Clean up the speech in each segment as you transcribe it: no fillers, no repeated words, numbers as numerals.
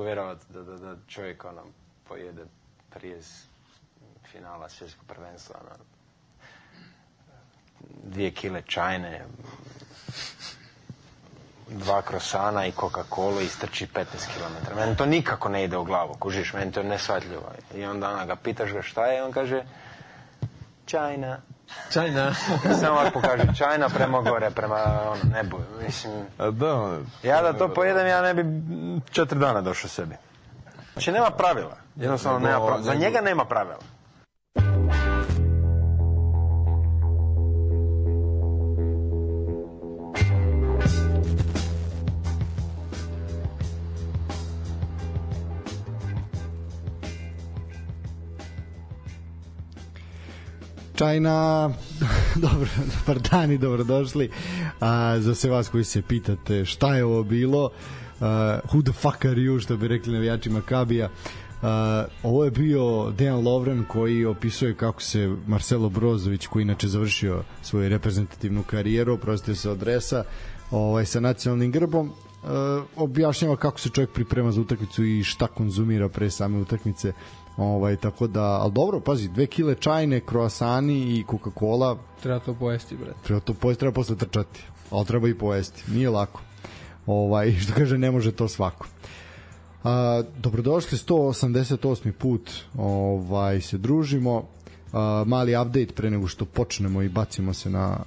mogu vjerovati da čovjek pojede prije finala svjetskog prvenstva 2 kile čajne, 2 krosana i Coca-Cola i strči 15 km. Meni to nikako ne ide u glavu, kužiš, meni to je nesvatljivo. I onda ga pitaš ga šta je, on kaže China. Samo ako kaže China prema gore, prema nebu. Mislim, ja da to pojedem, ja ne bi 4 dana došao sebi. Znači nema pravila. Jednostavno nema pravila. Za njega nema pravila. China, dobar dan i dobrodošli. Za sve vas koji se pitate šta je ovo bilo, who the fuck are you, što bi rekli navijači Makabija, ovo je bio Dejan Lovren koji opisuje kako se Marcelo Brozović, koji inače završio svoju reprezentativnu karijeru, oprostio se od dresa sa nacionalnim grbom, objašnjava kako se čovjek priprema za utakmicu i šta konzumira pre same utakmice. Tako da, ali dobro, pazi, 2 kile čajne, kroasani i Coca-Cola. Treba to pojesti, brate. Treba posle trčati, ali treba i pojesti, nije lako. Što kaže, ne može to svako. Dobrodošli, 188. put se družimo. Mali update pre nego što počnemo i bacimo se na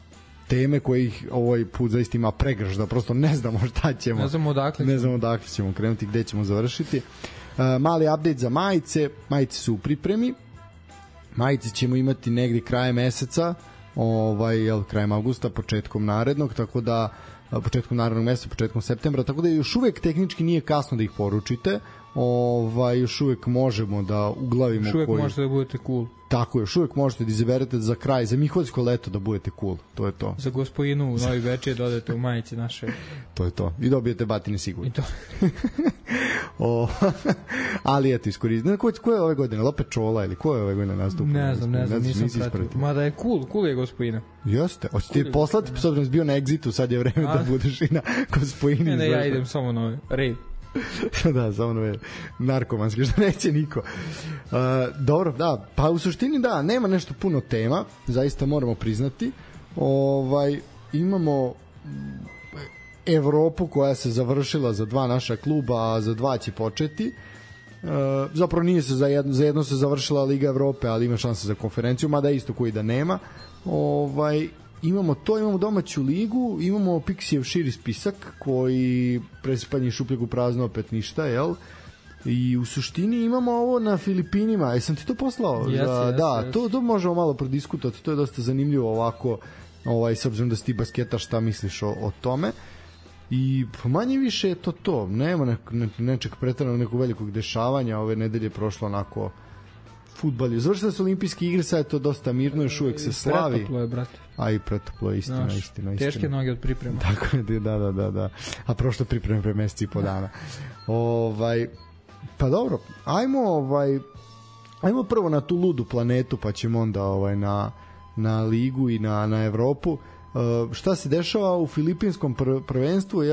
teme kojih ovaj put zaista ima pregršt, da prosto ne znamo šta ćemo. Ne znamo odakle ćemo krenuti, gde ćemo završiti. Mali update za majice. Majice su u pripremi. Majice ćemo imati negdje krajem meseca, krajem avgusta, početkom narednog, tako da početkom narednog meseca, početkom septembra, tako da još uvek tehnički nije kasno da ih poručite. Još uvek možemo da uglavimo još uvek možete da budete cool. Tako, još uvek možete da izaberete za kraj, za Miholjsko leto da budete cool. To je to. Za Gospojinu u Novi Bečej dodate u majici naše. To je to. I dobijete batine sigurno. I to. Ali eto, iskoristite. Ko je ove godine? Lope Čola ili ko je ove godine nastupio? Ne znam, nisam pratio. Mada je cool je Gospojina. Jeste. Hoćete ti poslati, s obzirom bio na Exitu, sad je vreme da budeš i na Gospojini. Ne, ja idem samo na rave. Da, samo je narkomanski, što neće niko. Dobro, da, pa u suštini da, nema nešto puno tema, zaista moramo priznati. Imamo Evropu koja se završila za 2 naša kluba, a za 2 će početi. Zapravo nije se za jedno se završila Liga Evrope, ali ima šanse za konferenciju, mada isto koji da nema. Imamo to, imamo domaću ligu, imamo Pixijev širi spisak koji presipanje šupljeg u prazno, opet ništa, jel? I u suštini imamo ovo na Filipinima. Jesam ti to poslao? Yes. To možemo malo prodiskutovati, to je dosta zanimljivo ovako, s obzirom da si ti basketa, šta misliš o tome. I manje više je to. Nema nečeg pretjerano nekog velikog dešavanja. Ove nedelje je prošlo onako fudbal. Završile su olimpijske igre, sad je to dosta mirno, još uvek se slavi. Pretoplo je, brate. A i pretoplo je, istina. Teške noge od priprema. Tako je, da. A prošlo pripreme pre meseci i po dana. Pa dobro, ajmo prvo na tu ludu planetu, pa ćemo onda na ligu i na Evropu. Šta se dešava u filipinskom prvenstvu,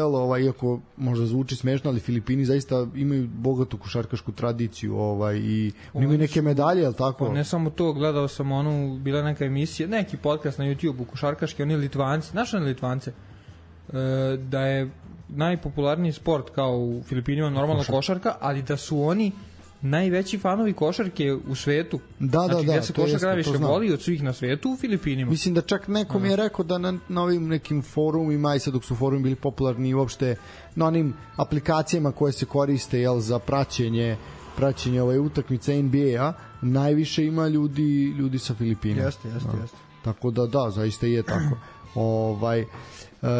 iako možda zvuči smešno, ali Filipini zaista imaju bogatu košarkašku tradiciju i imaju neke medalje, jel tako? Pa ne samo to, gledao sam bila neka emisija, neki podcast na YouTube-u košarkaški, oni Litvanci, znaš oni Litvance, da je najpopularniji sport kao u Filipinima normalno košarka, ali da su oni najveći fanovi košarke u svetu. Znači, gde se košarka najviše voli od svih na svetu u Filipinima. Mislim da čak neko mi je rekao da na ovim nekim forumima, i sad dok su forumi bili popularni i uopšte na onim aplikacijama koje se koriste za praćenje utakmice NBA-a, najviše ima ljudi sa Filipina. Jeste. Tako da, zaista je tako.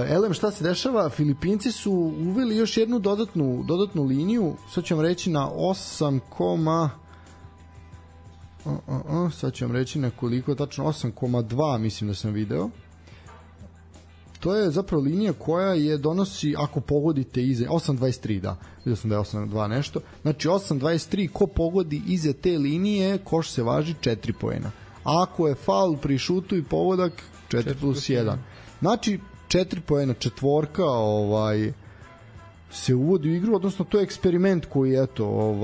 Elem, šta se dešava? Filipinci su uveli još jednu dodatnu liniju, sad ću vam reći na 8, sad ću vam reći na koliko, tačno 8,2 mislim da sam video. To je zapravo linija koja je donosi, ako pogodite iza 8.23, da, vidio sam da je 8.2 nešto, znači 8.23, ko pogodi iza te linije, koš se važi 4 poena. Ako je faul pri šutu i pogodak, 4+1. Znači 4 poena, četvorka, se uvodi u igru, odnosno to je eksperiment koji eto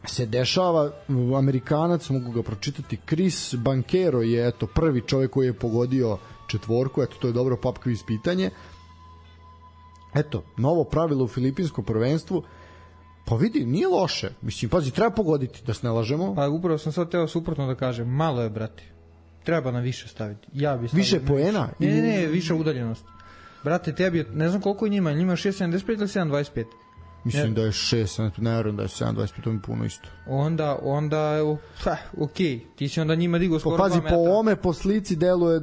se dešava. Amerikanac, mogu ga pročitati, Chris Banchero je eto prvi čovjek koji je pogodio četvorku, eto to je dobro pop quiz pitanje. Eto, novo pravilo u filipinskom prvenstvu, pa vidi, nije loše. Mislim, pazi, treba pogoditi, da se ne lažemo. Pa upravo sam sad teo suprotno da kažem, malo je, brate. Treba na više staviti. Ja bi stavio više poena? Ne, više udaljenost. Brate, tebi je, ne znam koliko je njima 6.75 ili 7.25? Mislim da je 6, ne vjerujem da je 7.25, to mi puno isto. Onda okej, ti si onda njima digao skoro 2 metra. Pazi, po ome, po slici deluje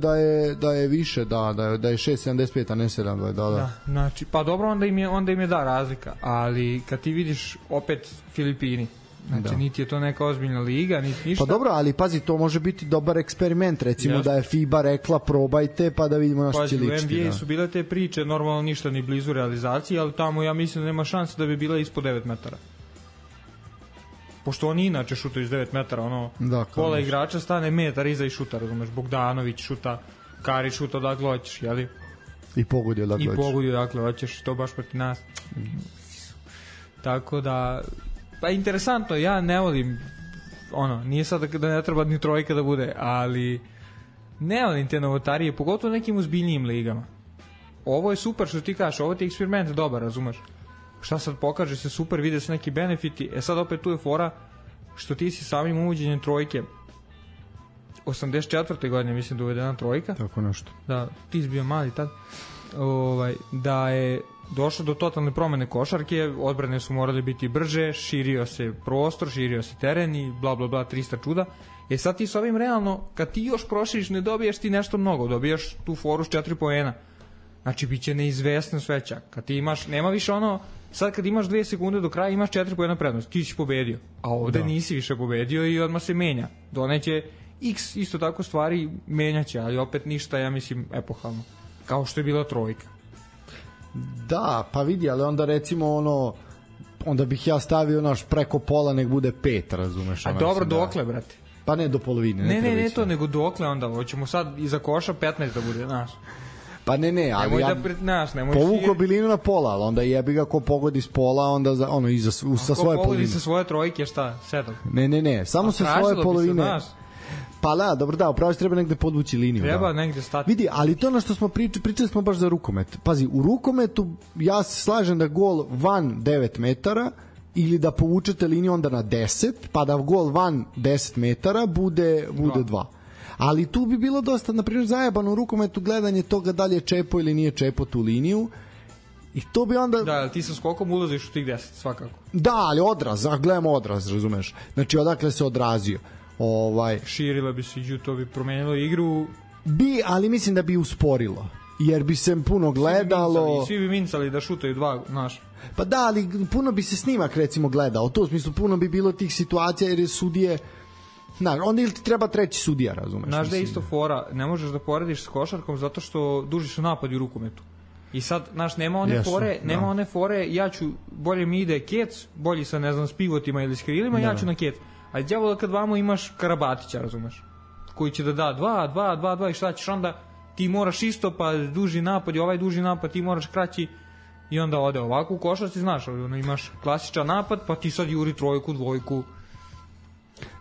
da je više, da je 6.75, a ne 7.20, da. Znači, pa dobro, onda im je da razlika, ali kad ti vidiš opet Filipini, znači niti je to neka ozbiljna liga, niti ništa. Pa dobro, ali pazi, to može biti dobar eksperiment, recimo da je FIBA rekla probajte pa da vidimo na što će ličiti. U NBA su bile te priče, normalno ništa ni blizu realizacije, ali tamo ja mislim da nema šanse da bi bila ispod 9 metara. Pošto oni inače šutaju iz 9 metara, pola igrača stane metar iza i šuta, razumeš, Bogdanović šuta, Kari šuta odakle hoćeš, jeli? I pogodi odakle hoćeš, to baš proti nas. Tako da, pa interesantno, ja ne volim, nije sad da ne treba ni trojka da bude, ali ne volim te novotarije, pogotovo nekim ozbiljnijim ligama. Ovo je super što ti kažeš, ovo ti je eksperiment dobar, razumeš? Šta sad pokaže se super, vide se neki benefiti, sad opet tu je fora što ti si samim uvođenjem trojke 84. godine mislim da uvedena trojka. Tako nešto. Da, ti si bio mali tad. Da je došlo do totalne promene košarke, odbrane su morali biti brže, širio se prostor, širio se teren i bla bla bla 300 čuda. Sad ti s ovim realno, kad ti još proširiš, ne dobiješ ti nešto mnogo, dobijaš tu foru s 4 poena. Znači, bit će neizvesnost veća. Kad ti imaš, nema više sad kad imaš 2 sekunde do kraja, imaš 4 poena prednost, ti si pobedio. A ovde nisi više pobedio i odmah se menja. Doneće x isto tako stvari, menjaće, ali opet ništa, ja mislim, epohalno. Kao što je bila trojka. Da, pa vidi, ali onda recimo onda bih ja stavio preko pola nek bude 5, razumeš? A dobro, dokle, brate? Pa ne do polovine. Ne to, nego dokle onda, hoćemo sad iza koša 15 da bude, znaš. Pa ne, ali nemoj ja povuko bilinu na pola, ali onda jebi ga ko pogodi s pola, onda sa svoje polovine. Ko pogodi sa svoje trojke, šta, 7? Ne, samo sa svoje polovine. Pa da, dobro da, upravo treba negde podvući liniju. Treba negde stati. Vidi, ali to na što smo pričali smo baš za rukomet. Pazi, u rukometu ja se slažem da gol van 9 metara ili da povučete liniju onda na 10, pa da gol van 10 metara bude 2. Ali tu bi bilo dosta, na primjer, zajebano u rukometu gledanje toga da li je čepo ili nije čepo tu liniju. I to bi onda... Da, ti sa skokom ulaziš u tih 10, svakako. Da, ali odraz, gledamo odraz, razumeš. Znači, odakle se odrazio. Širila bi se, to bi promenilo igru. Ali mislim da bi usporilo. Jer bi se puno gledalo... Svi bi mincali da šutaju 2, znaš. Pa da, ali puno bi se snimak recimo gledao. To u smislu puno bi bilo tih situacija jer je sudije... onda ili ti treba treći sudija, razumeš? Znaš da je isto fora, ne možeš da porediš s košarkom zato što duži su napadi u rukometu. I sad, znaš, nema one fore, ja ću, bolje mi ide kec, bolji sa, ne znam, s pivotima ili s krilima, ja ću na kec. A djavola kad vamo imaš Karabatića, razumeš? Koji će da 2 i šta ćeš onda, ti moraš isto, pa duži napad i ovaj duži napad, ti moraš kraći i onda ode ovako u košarci, znaš, imaš klasičan napad, pa ti sad juri trojku, dvojku.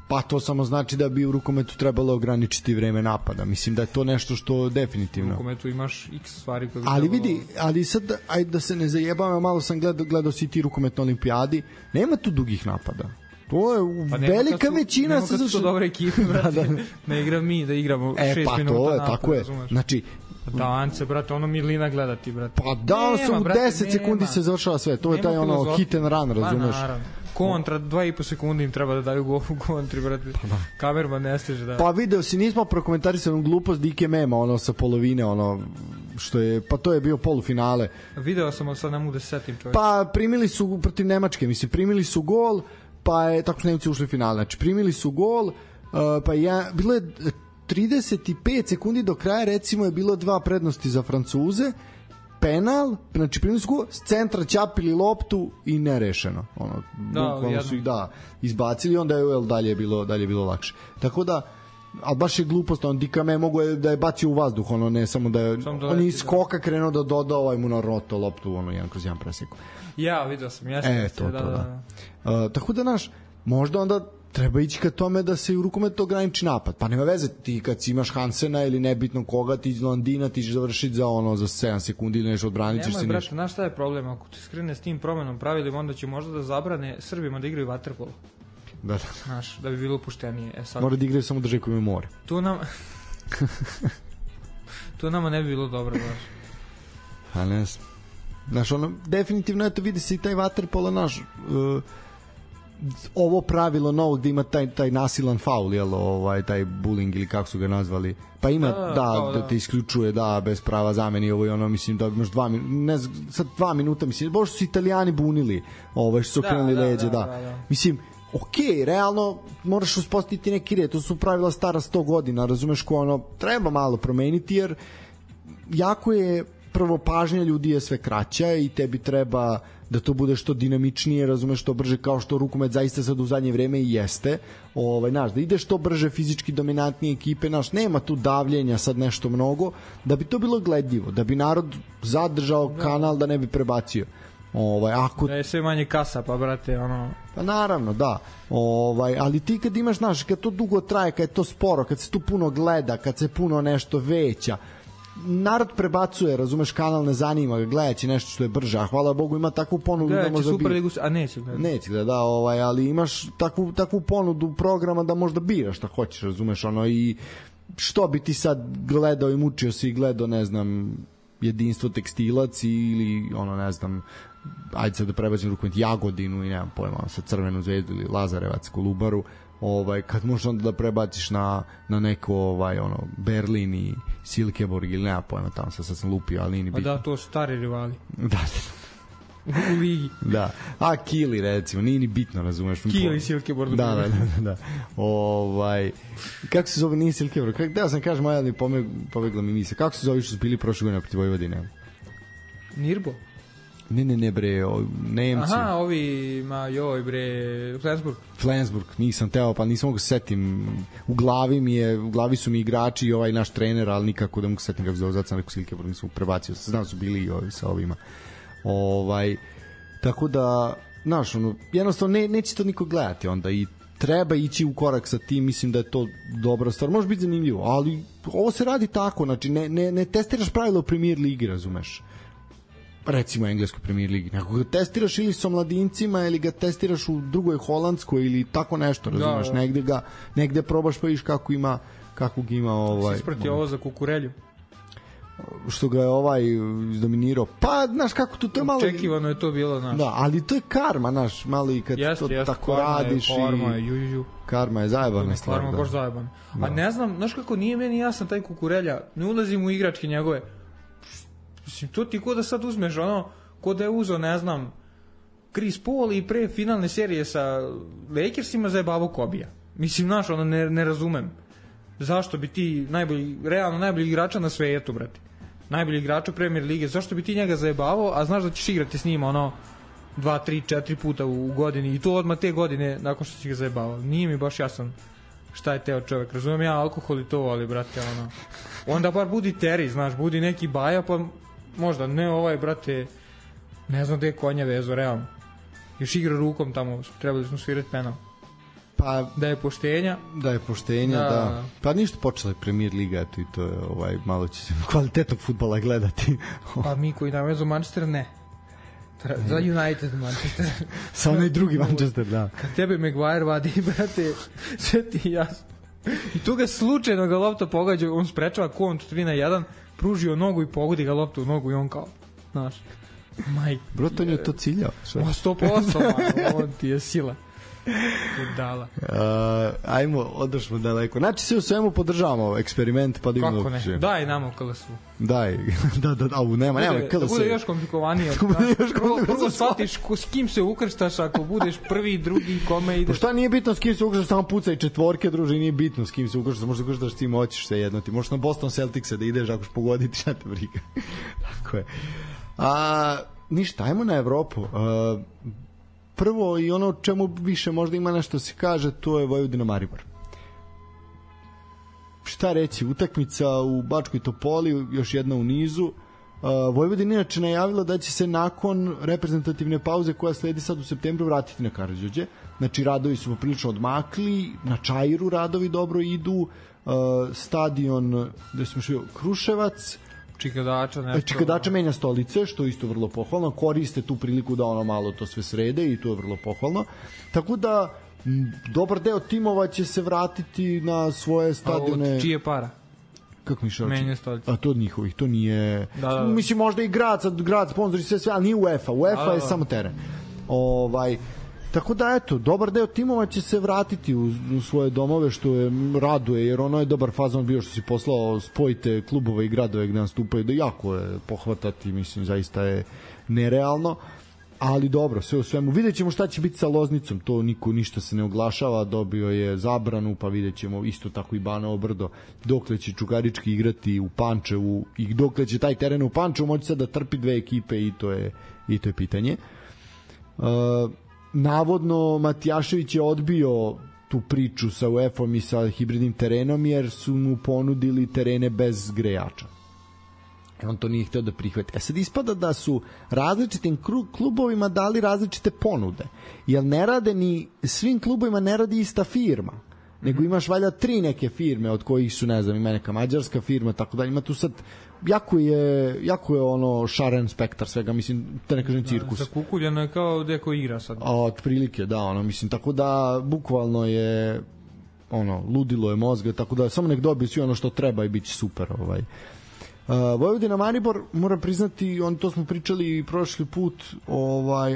Pa to samo znači da bi u rukometu trebalo ograničiti vreme napada. Mislim da je to nešto što definitivno... U rukometu imaš x stvari koje... Ali vidi, ali sad, ajde da se ne zajebam, malo sam gledao si ti rukomet na olimpijadi, nema tu dugih napada. To je velika većina... Nema kad su to dobre ekipe, brate. Ne igram mi, da igramo 6 minuta to je, napada, tako je. Znači, Dance, brate, Milina gledati, brate. Pa da, u 10 sekundi se završava sve. To je taj hit and run, razumeš? Kontra, 2,5 sekundi im treba da daju gol u kontri, brate. Kamerman ne stiže da... Pa video si, nismo prokomentarisali glupost Dike Mema, sa polovine, što je, pa to je bio polufinale. Video sam, ali sad ne mogu da se setim, čovječ. Pa primili su protiv Nemačke, mislim, primili su gol, pa je, tako su Nemci ušli u finale, znači primili su gol, pa bilo je 35 sekundi do kraja, recimo je bilo 2 prednosti za Francuze, penal, znači primili su gol, s centra ćapili loptu i nerešeno. Bukvalno su ih izbacili, onda je dalje bilo lakše. Tako da, ali baš je glupost, on Dikame mogu da je bacio u vazduh, ono, ne samo da je, on je iz skoka krenuo da doda ovaj mu na roto loptu, ono, 1/1 preseku. Ja, vidio sam, da. Tako da, naš, možda onda treba ići ka tome da se u rukometu ograniči napad. Pa nema veze, ti kad si imaš Hansena ili nebitno koga, ti iz Landina, ti ćeš završiti za 7 sekundi ili nešto odbranit ćeš se ništa. Nemoj, brate, znaš šta je problem? Ako ti skrene s tim promenom pravilima, onda će možda da zabrane Srbima da igraju vaterpolo. Da. Znaš, da bi bilo opuštenije. Sad... Mora da igraju samo državi koji ima more. To nama ne bi bilo dobro, baš. A ne znam. Znaš, ono, definitivno, eto, vidi se i taj vaterpolo, naš... ovo pravilo novo gde ima taj nasilan faul, jel, taj bullying ili kako su ga nazvali, pa ima da te isključuje, da, bez prava zameni, ovo i ono, mislim da imaš 2 minuta, mislim, bož su Italijani bunili, što su okrenuli leđe, da. Mislim, okej, realno moraš uspostaviti neki red, to su pravila stara 100 godina, razumeš, ko ono, treba malo promeniti, jer jako je, prvo, pažnja ljudi je sve kraća i tebi treba da to bude što dinamičnije, razumeš, što brže, kao što rukomet zaista sad u zadnje vreme i jeste, znaš, da ide što brže, fizički dominantnije ekipe, znaš, nema tu davljenja sad nešto mnogo, da bi to bilo gledljivo, da bi narod zadržao kanal, da ne bi prebacio. Ako... Da je sve manje kasa, pa brate, ono... Pa naravno, da. Ali ti kad imaš, znaš, kad to dugo traje, kad je to sporo, kad se tu puno gleda, kad se puno nešto veća, narod prebacuje, razumeš, kanal ne zanima ga, gledaće nešto što je brže, a hvala Bogu ima takvu ponudu da možda Superligu, a neće gleda, ali imaš takvu ponudu programa da možda biraš šta hoćeš, razumeš, ono, i što bi ti sad gledao i mučio si i gledao, ne znam, Jedinstvo tekstilac ili ono, ne znam, ajde sad da prebacim rukomet Jagodinu i nemam pojma, sa Crvenu zvezdu ili Lazarevac, Kolubaru, kad možeš onda da prebaciš na neko Berlin i Silkeborg ili nema pojma, tamo sad sam lupio, ali nije bitno. Da, to su stari rivali. Da. U ligi. Da. A Kili, recimo, nije ni bitno, razumeš. Kili, Silkeborg. Da. Kako se zove, nije Silkeborg? Da sam kažem, ali pobegla mi misle. Kako se zove što su bili prošle godine protiv Vojvodine? Nirbo? Ne bre, Nemci. Aha, ovi, Flensburg, nisam teo, pa nisam mogu se setim. U glavi su mi igrači i ovaj naš trener, ali nikako da mogu se setim kako zove, zato sam rekao Silkeborg, nisam prebacio, znam su bili i ovi sa ovima. Tako da, znaš, jednostavno neće to niko gledati onda i treba ići u korak sa tim, mislim da je to dobra stvar, može biti zanimljivo, ali ovo se radi tako, znači ne testiraš pravila u Premier ligi, razumeš, recimo u engleskoj Premier ligi, nego ga testiraš ili sa mladincima ili ga testiraš u drugoj holandskoj ili tako nešto, razumeš, negde probaš pa viš kako ga ima si isprati ovo za Kukurelju što ga je izdominirao, pa znaš kako to je malo očekivano je to bilo, znaš, da, ali to je karma, znaš, malo i kad to tako radiš karma je zajebana stvar, karma je baš zajebana, a ne znam, znaš kako nije meni jasan taj Kukurelja, ne ulazim u igračke njegove, mislim, to ti ko da sad uzmeš ko da je uzeo, ne znam, Chris Paul i pre finalne serije sa Lakersima zajebavo Kobija, mislim, znaš, ne razumem zašto bi ti realno najbolji igrača na svetu, brate, najbolji igrača Premier lige, zašto bi ti njega zajebavao, a znaš da ćeš igrati s njima 2, 3, 4 puta u godini i to odmah te godine nakon što si ga zajebavao. Nije mi baš jasan šta je teo čovjek, razumem ja alkohol i to, ali brate, onda bar budi Terry, znaš, budi neki Baja, pa možda ne brate, ne znam gde je konja vezo, realno, još igra rukom tamo, trebali smo svirati penal. Pa, da je poštenja, da. Pa ništa, počela je Premier liga, eto, i to je malo će se kvalitetnog fudbala gledati. Pa mi koji nam vezu Manchester, ne. Za United Manchester. Sa onaj drugi Manchester, da. Kad tebe Maguire vadi, brate, sve ti jasno. I tu ga slučajno ga lopta pogađa, on sprečava kont 3-1, pružio nogu i pogodi ga loptu u nogu i on kao, znaš, majke. Broto on je to ciljao. 100%, on ti je sila. Budala. Ajmo, odošmo daleko. Znači se u svemu podržavamo eksperiment, pa da imamo. Kako ne? Daj nam u KLS-u. Daj. Da, nema KLS. Da bude još komplikovanije. Prvo shvatiš s kim se ukrštaš ako budeš prvi, drugi, kome ideš. Pa šta nije bitno s kim se ukrštaš, samo pucaj četvorke, druži, nije bitno s kim se ukrštaš, možda ukrštaš s tim hoćeš se jedno. Ti možeš na Boston Celticse da ideš ako ćeš pogoditi, šta te briga. Tako je. Ništa, ajmo na Evropu. Prvo i ono čemu više možda ima nešto se kaže, to je Vojvodina Maribor. šta reći, utakmica u Bačkoj Topoli, još jedna u nizu. Vojvodina inače najavila da će se nakon reprezentativne pauze koja sledi sad u septembru vratiti na Karađorđe. Znači radovi su poprilično odmakli, na Čairu radovi dobro idu, stadion gde smo šli, Kruševac, Čikadača menja stolice, što je isto vrlo pohvalno, koriste tu priliku da ono malo to sve srede i to je vrlo pohvalno. Tako da dobar deo timova će se vratiti na svoje stadione. A od čije para? Kako mi šao? Menja stolice. A to od njihovih, to nije... Da. Mislim, možda i grad sponzori sve, ali nije UEFA. UEFA je samo teren. Tako da, eto, dobar deo timova će se vratiti u svoje domove, što je raduje, jer ono je dobar fazon bio što si poslao, spojite klubove i gradove gde nastupaju, da jako je pohvatati, mislim, zaista je nerealno, ali dobro, sve u svemu. Vidjet ćemo šta će biti sa Loznicom, to niko ništa se ne oglašava, dobio je zabranu, pa vidjet ćemo isto tako i Banovo Brdo, dokle će Čukarički igrati u Pančevu i dokle će taj teren u Pančevu moći sad da trpi dve ekipe i to je pitanje. Navodno Matijašević je odbio tu priču sa UEFA-om i sa hibridnim terenom jer su mu ponudili terene bez grejača. On to nije hteo da prihvati. Sad ispada da su različitim klubovima dali različite ponude. Jer ne rade ni svim klubovima ne radi ista firma. Nego imaš valjda 3 neke firme od kojih su, ne znam, ima neka mađarska firma, tako da ima tu sad jako je ono šaren spektar svega, mislim, da ne kažem cirkus. Zakukuljeno je kao deko igra sad. Otprilike, da, ono, mislim, tako da bukvalno je ono, ludilo je mozga, tako da samo nek dobiju svi ono što treba i bit će super. Vojvodina Maribor, moram priznati, to smo pričali prošli put,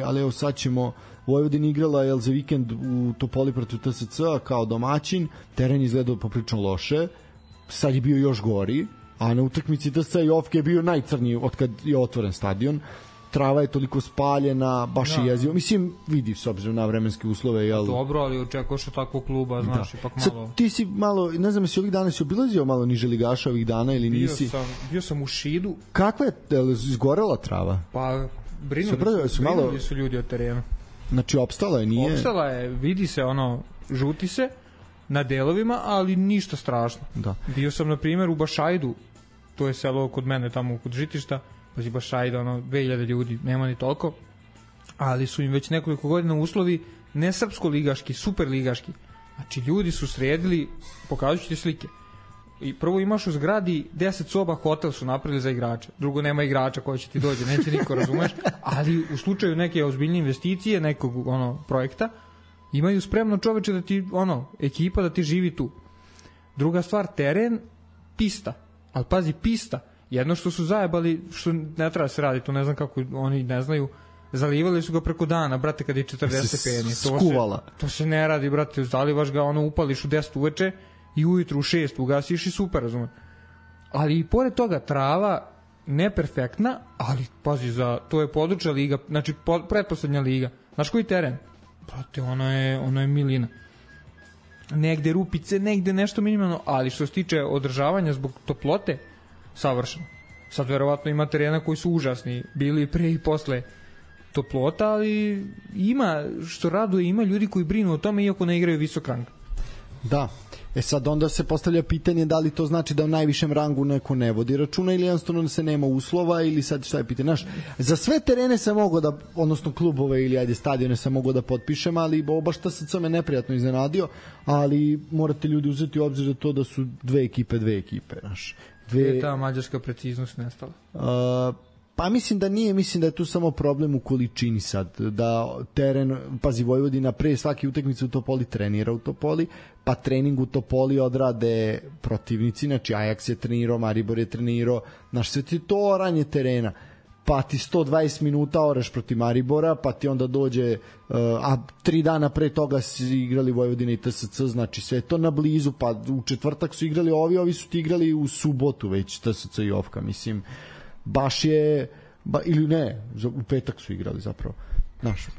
ali evo sad ćemo. Vojvodina igrala za vikend u Topoli protiv TSC kao domaćin, teren izgledao poprilično loše, sad je bio još gori, a na utakmici TSC i Ofke je bio najcrniji od kad je otvoren stadion. Trava je toliko spaljena, baš je jezivo. Mislim, vidi s obzirom na vremenske uslove. Dobro, ali očekuješ od takvog kluba, znaš, ipak malo... Sad, ti si malo, ne znam, jesi ovih dana si obilazio malo niže ligaša ovih dana ili nisi? Bio sam u Šidu. Kakva je, izgorela trava? Pa, brinuli su ljudi od terena. Znači, opstala je, nije? Opstala je, vidi se, žuti se na delovima, ali ništa strašno. Da. Bio sam, na primjer, u Bašajdu, to je selo kod mene, tamo kod Žitišta, pazi Bašajda, 2000 ljudi, nema ni toliko, ali su im već nekoliko godina uslovi ne srpsko-ligaški, super-ligaški. Znači, ljudi su sredili, pokazat ću ti slike. I prvo imaš u zgradi 10 soba, hotel su napravili za igrače. Drugo, nema igrača koji će ti dođe, neće niko, razumeš, ali u slučaju neke ozbiljne investicije, nekog projekta, imaju spremno čoveče da ti, ekipa da ti živi tu. Druga stvar, teren, pista. Ali pazi, pista. Jedno što su zajebali, što ne treba se raditi, to ne znam kako oni ne znaju, zalivali su ga preko dana, brate, kad je 40 stepeni. Skuvala. To se ne radi, brate, zalivaš ga, upališ u 10 uveče i ujutru u 6 ugasiš i super, razumem. Ali i pored toga trava neperfektna, ali pazi, to je područja liga, znači pretposlednja liga. Znaš koji teren? Brate, ono je milina. Negde rupice, negde nešto minimalno, ali što se tiče održavanja zbog toplote, savršeno. Sad verovatno ima terena koji su užasni, bili pre i posle toplota, ali ima, što raduje, ima ljudi koji brinu o tome iako ne igraju visok rang. Da. Sad onda se postavlja pitanje da li to znači da u najvišem rangu neko ne vodi računa ili jednostavno se nema uslova ili sad šta je pitanje. Znaš, za sve terene sam mogao da, odnosno klubove ili stadione sam mogao da potpišem, ali baš ta sad sam me neprijatno iznenadio, ali morate ljudi uzeti u obzir da to da su dve ekipe, znaš. Gde je ta mađarska preciznost nestala? Pa mislim da nije, mislim da je tu samo problem u količini sad, da teren, pazi, Vojvodina pre svake utakmice u Topoli trenira u Topoli, pa trening u Topoli odrade protivnici, znači Ajax je trenirao, Maribor je trenirao, znaš, sve ti to oranje terena, pa ti 120 minuta oreš protiv Maribora, pa ti onda dođe, a 3 dana pre toga si igrali Vojvodina i TSC, znači sve to na blizu, pa u četvrtak su igrali ovi su ti igrali u subotu već TSC i Ofka, mislim, baš je, ili ne, u petak su igrali zapravo.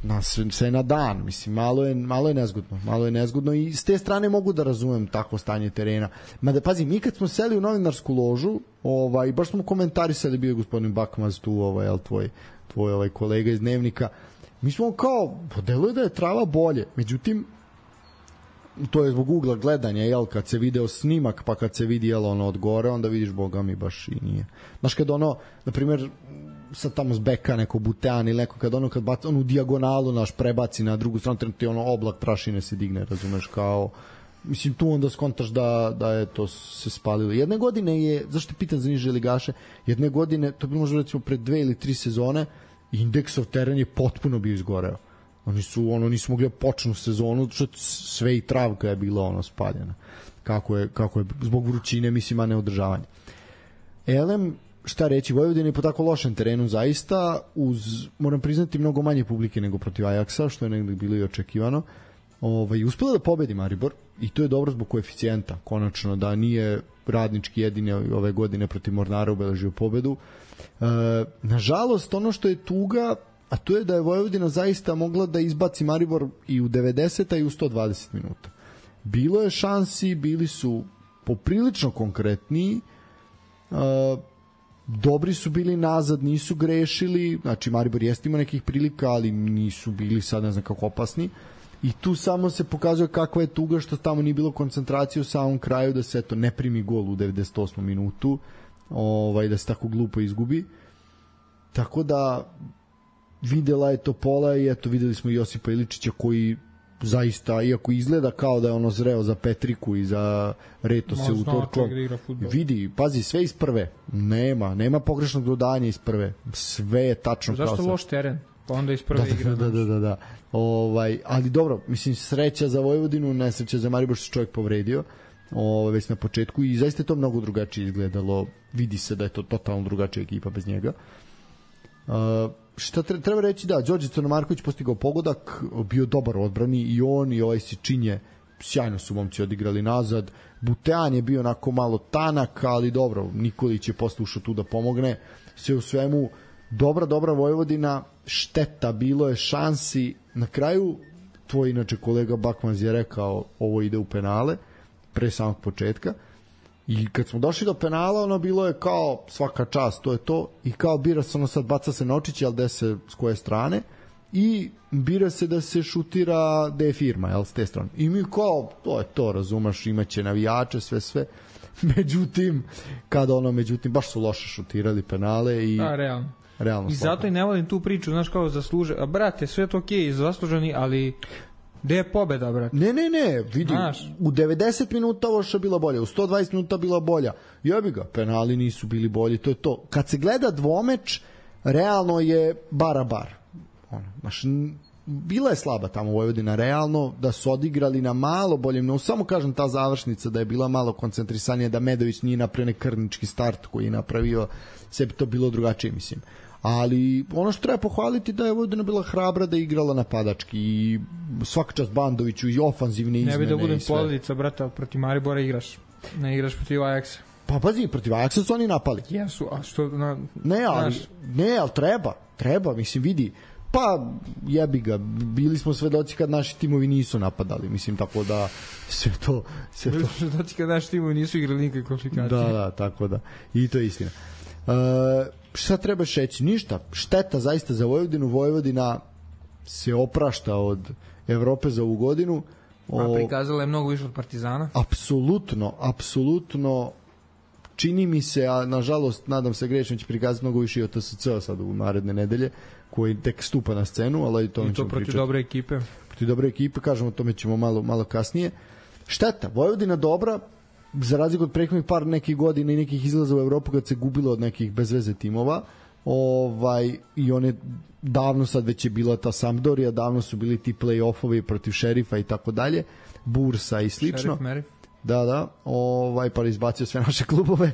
Znaš, sve na dan, mislim, malo je nezgodno i s te strane mogu da razumem takvo stanje terena. Mada, pazi, mi kad smo seli u novinarsku ložu, baš smo komentarisali, bio je gospodin Bakmaz tu, tvoj kolega iz Dnevnika, mi smo kao, podeluje da je trava bolje, međutim, to je zbog ugla gledanja, jel, kad se video snimak, pa kad se vidi, jel, ono od gore, onda vidiš, boga mi, baš i nije. Znaš, kad ono, na primjer, sad tamo s beka neko Butean ili neko, kad baci onu dijagonalu, naš, prebaci na drugu stranu, trenutno ti ono oblak prašine se digne, razumeš, kao, mislim, tu onda skontaš da je to se spalilo. Jedne godine je, zašto pitan za niže ligaše, jedne godine, to bi možda recimo pred 2 ili 3 sezone, Indeksov teren je potpuno bio izgoreo. Nisu mogli da počnu sezonu, što sve i travka je bila ono spaljena. Kako je zbog vrućine, mislim, a ne održavanje. Elem, šta reći, Vojvodina je po tako lošem terenu zaista, uz, moram priznati, mnogo manje publike nego protiv Ajaksa, što je negde bilo i očekivano. Uspela da pobedi Maribor i to je dobro zbog koeficijenta, konačno, da nije Radnički jedini ove godine protiv Mornara obeležio pobedu. Nažalost, ono što je tuga, a to je da je Vojvodina zaista mogla da izbaci Maribor i u 90 i u 120 minuta. Bilo je šansi, bili su poprilično konkretniji, dobri su bili nazad, nisu grešili, znači Maribor jeste imao nekih prilika, ali nisu bili sad ne znam kako opasni, i tu samo se pokazuje kakva je tuga što tamo nije bilo koncentracije u samom kraju, da se eto ne primi gol u 98. minutu, da se tako glupo izgubi. Tako da videla je Topola i eto videli smo Josipa Iličića koji zaista, iako izgleda kao da je ono zreo za Petriku i za Reto se utorkom, vidi, pazi, sve iz prve, nema pogrešnog dodanja iz prve, sve je tačno. Zašto loš teren? Pa onda iz prve igra. Da. Ali dobro, mislim, sreća za Vojvodinu, nesreća za Maribor što se čovjek povredio već na početku i zaista je to mnogo drugačije izgledalo, vidi se da je to totalno drugačija ekipa bez njega. Šta treba reći, da, Đorđe Crnomarković postigao pogodak, bio dobar u odbrani i on i ovaj Sičinje, sjajno su momci odigrali nazad. Butean je bio onako malo tanak, ali dobro, Nikolić je posle ušao tu da pomogne. Sve u svemu, dobra Vojvodina, šteta, bilo je šansi. Na kraju, tvoj inače kolega Bakmaz je rekao ovo ide u penale, pre samog početka. I kad smo došli do penala, ono bilo je kao svaka čast, to je to, i kao bira se ono sad, baca se Nočić, jel, gde se, s koje strane, i bira se da se šutira gde je firma, jel, s te strane. I mi kao, to je to, razumaš, imaće navijače, sve. Međutim, baš su loše šutirali penale i... Da, realno. I slabo. zato i ne volim tu priču, znaš, kao zasluže, a brate, sve je to okej, zasluženi, ali... Gde je pobeda, brate? Ne, vidi, u 90 minuta ovo što je bila bolja, u 120 minuta bila bolja. Jebi ga, penali nisu bili bolji, to je to. Kad se gleda dvomeč, realno je bar. Bila je slaba tamo Vojvodina, realno, da su odigrali na malo boljem, no samo kažem ta završnica da je bila malo koncentrisanija, da Medović nije napravio nekrnički start koji je napravio, sve bi to bilo drugačije, mislim. Ali ono što treba pohvaliti da je Vojvodina bila hrabra, da je igrala napadački i svaka čast Bandoviću i ofanzivne izmene. Ne bi da budem poledica, brata, protiv Maribora igraš. Ne igraš protiv Ajaksa. Pa pazi, protiv Ajaksa su oni napali. Jesu, a što... Ne, ali treba, mislim, vidi. Pa jebi ga, bili smo svedoci kad naši timovi nisu napadali, mislim, tako da sve to... Bili smo svedoci kad naši timovi nisu igrali nikakve komplikacije. Da, tako da. I to je istina. Šta treba šeći? Ništa. Šteta zaista za Vojvodinu. Vojvodina se oprašta od Evrope za ovu godinu. A prikazala je mnogo više od Partizana. Apsolutno. Čini mi se, a nažalost nadam se grešno, će prikazati mnogo više i od TSC-a sad u naredne nedelje, koji tek stupa na scenu, ali to i to protiv dobre ekipe. Protiv dobre ekipe, kažemo, o tome ćemo malo kasnije. Šteta, Vojvodina dobra, za razliku od prethodnih par nekih godina i nekih izlaza u Evropu kad se gubilo od nekih bezveze timova, i one davno sad već je bila ta Sampdoria, davno su bili ti play-offovi protiv Šerifa i tako dalje, Bursa i slično. Šerif, Da, pa izbacio sve naše klubove,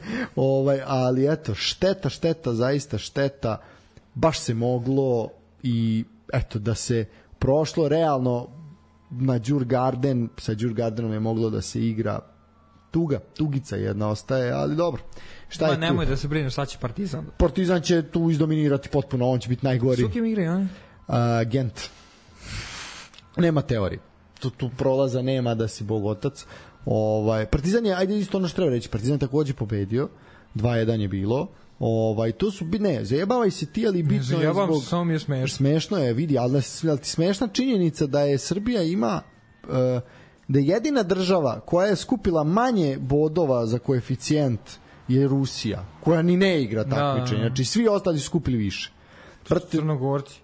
ali eto, šteta, zaista šteta, baš se moglo i eto da se prošlo realno na Djurgarden, sa Djurgardenom je moglo da se igra tugica jedna ostaje, ali dobro. Šta je tu? Nemoj da se brineš, sad će Partizan. Partizan će tu izdominirati potpuno, on će biti najgori. Su kim igraju oni? Gent. Nema teorije. Tu prolaza nema da si bog otac. Partizan je, ajde isto ono što treba reći, Partizan je takođe pobedio, 2-1 je bilo. To su, ne, zajebavaj se ti, ali bitno je zbog... Samo mi je smešno. Smešno je, vidi, ali ti smešna činjenica da je Srbija ima da je jedina država koja je skupila manje bodova za koeficijent je Rusija, koja ni ne igra takmičenje. Znači, svi ostali su skupili više. Crnogorci.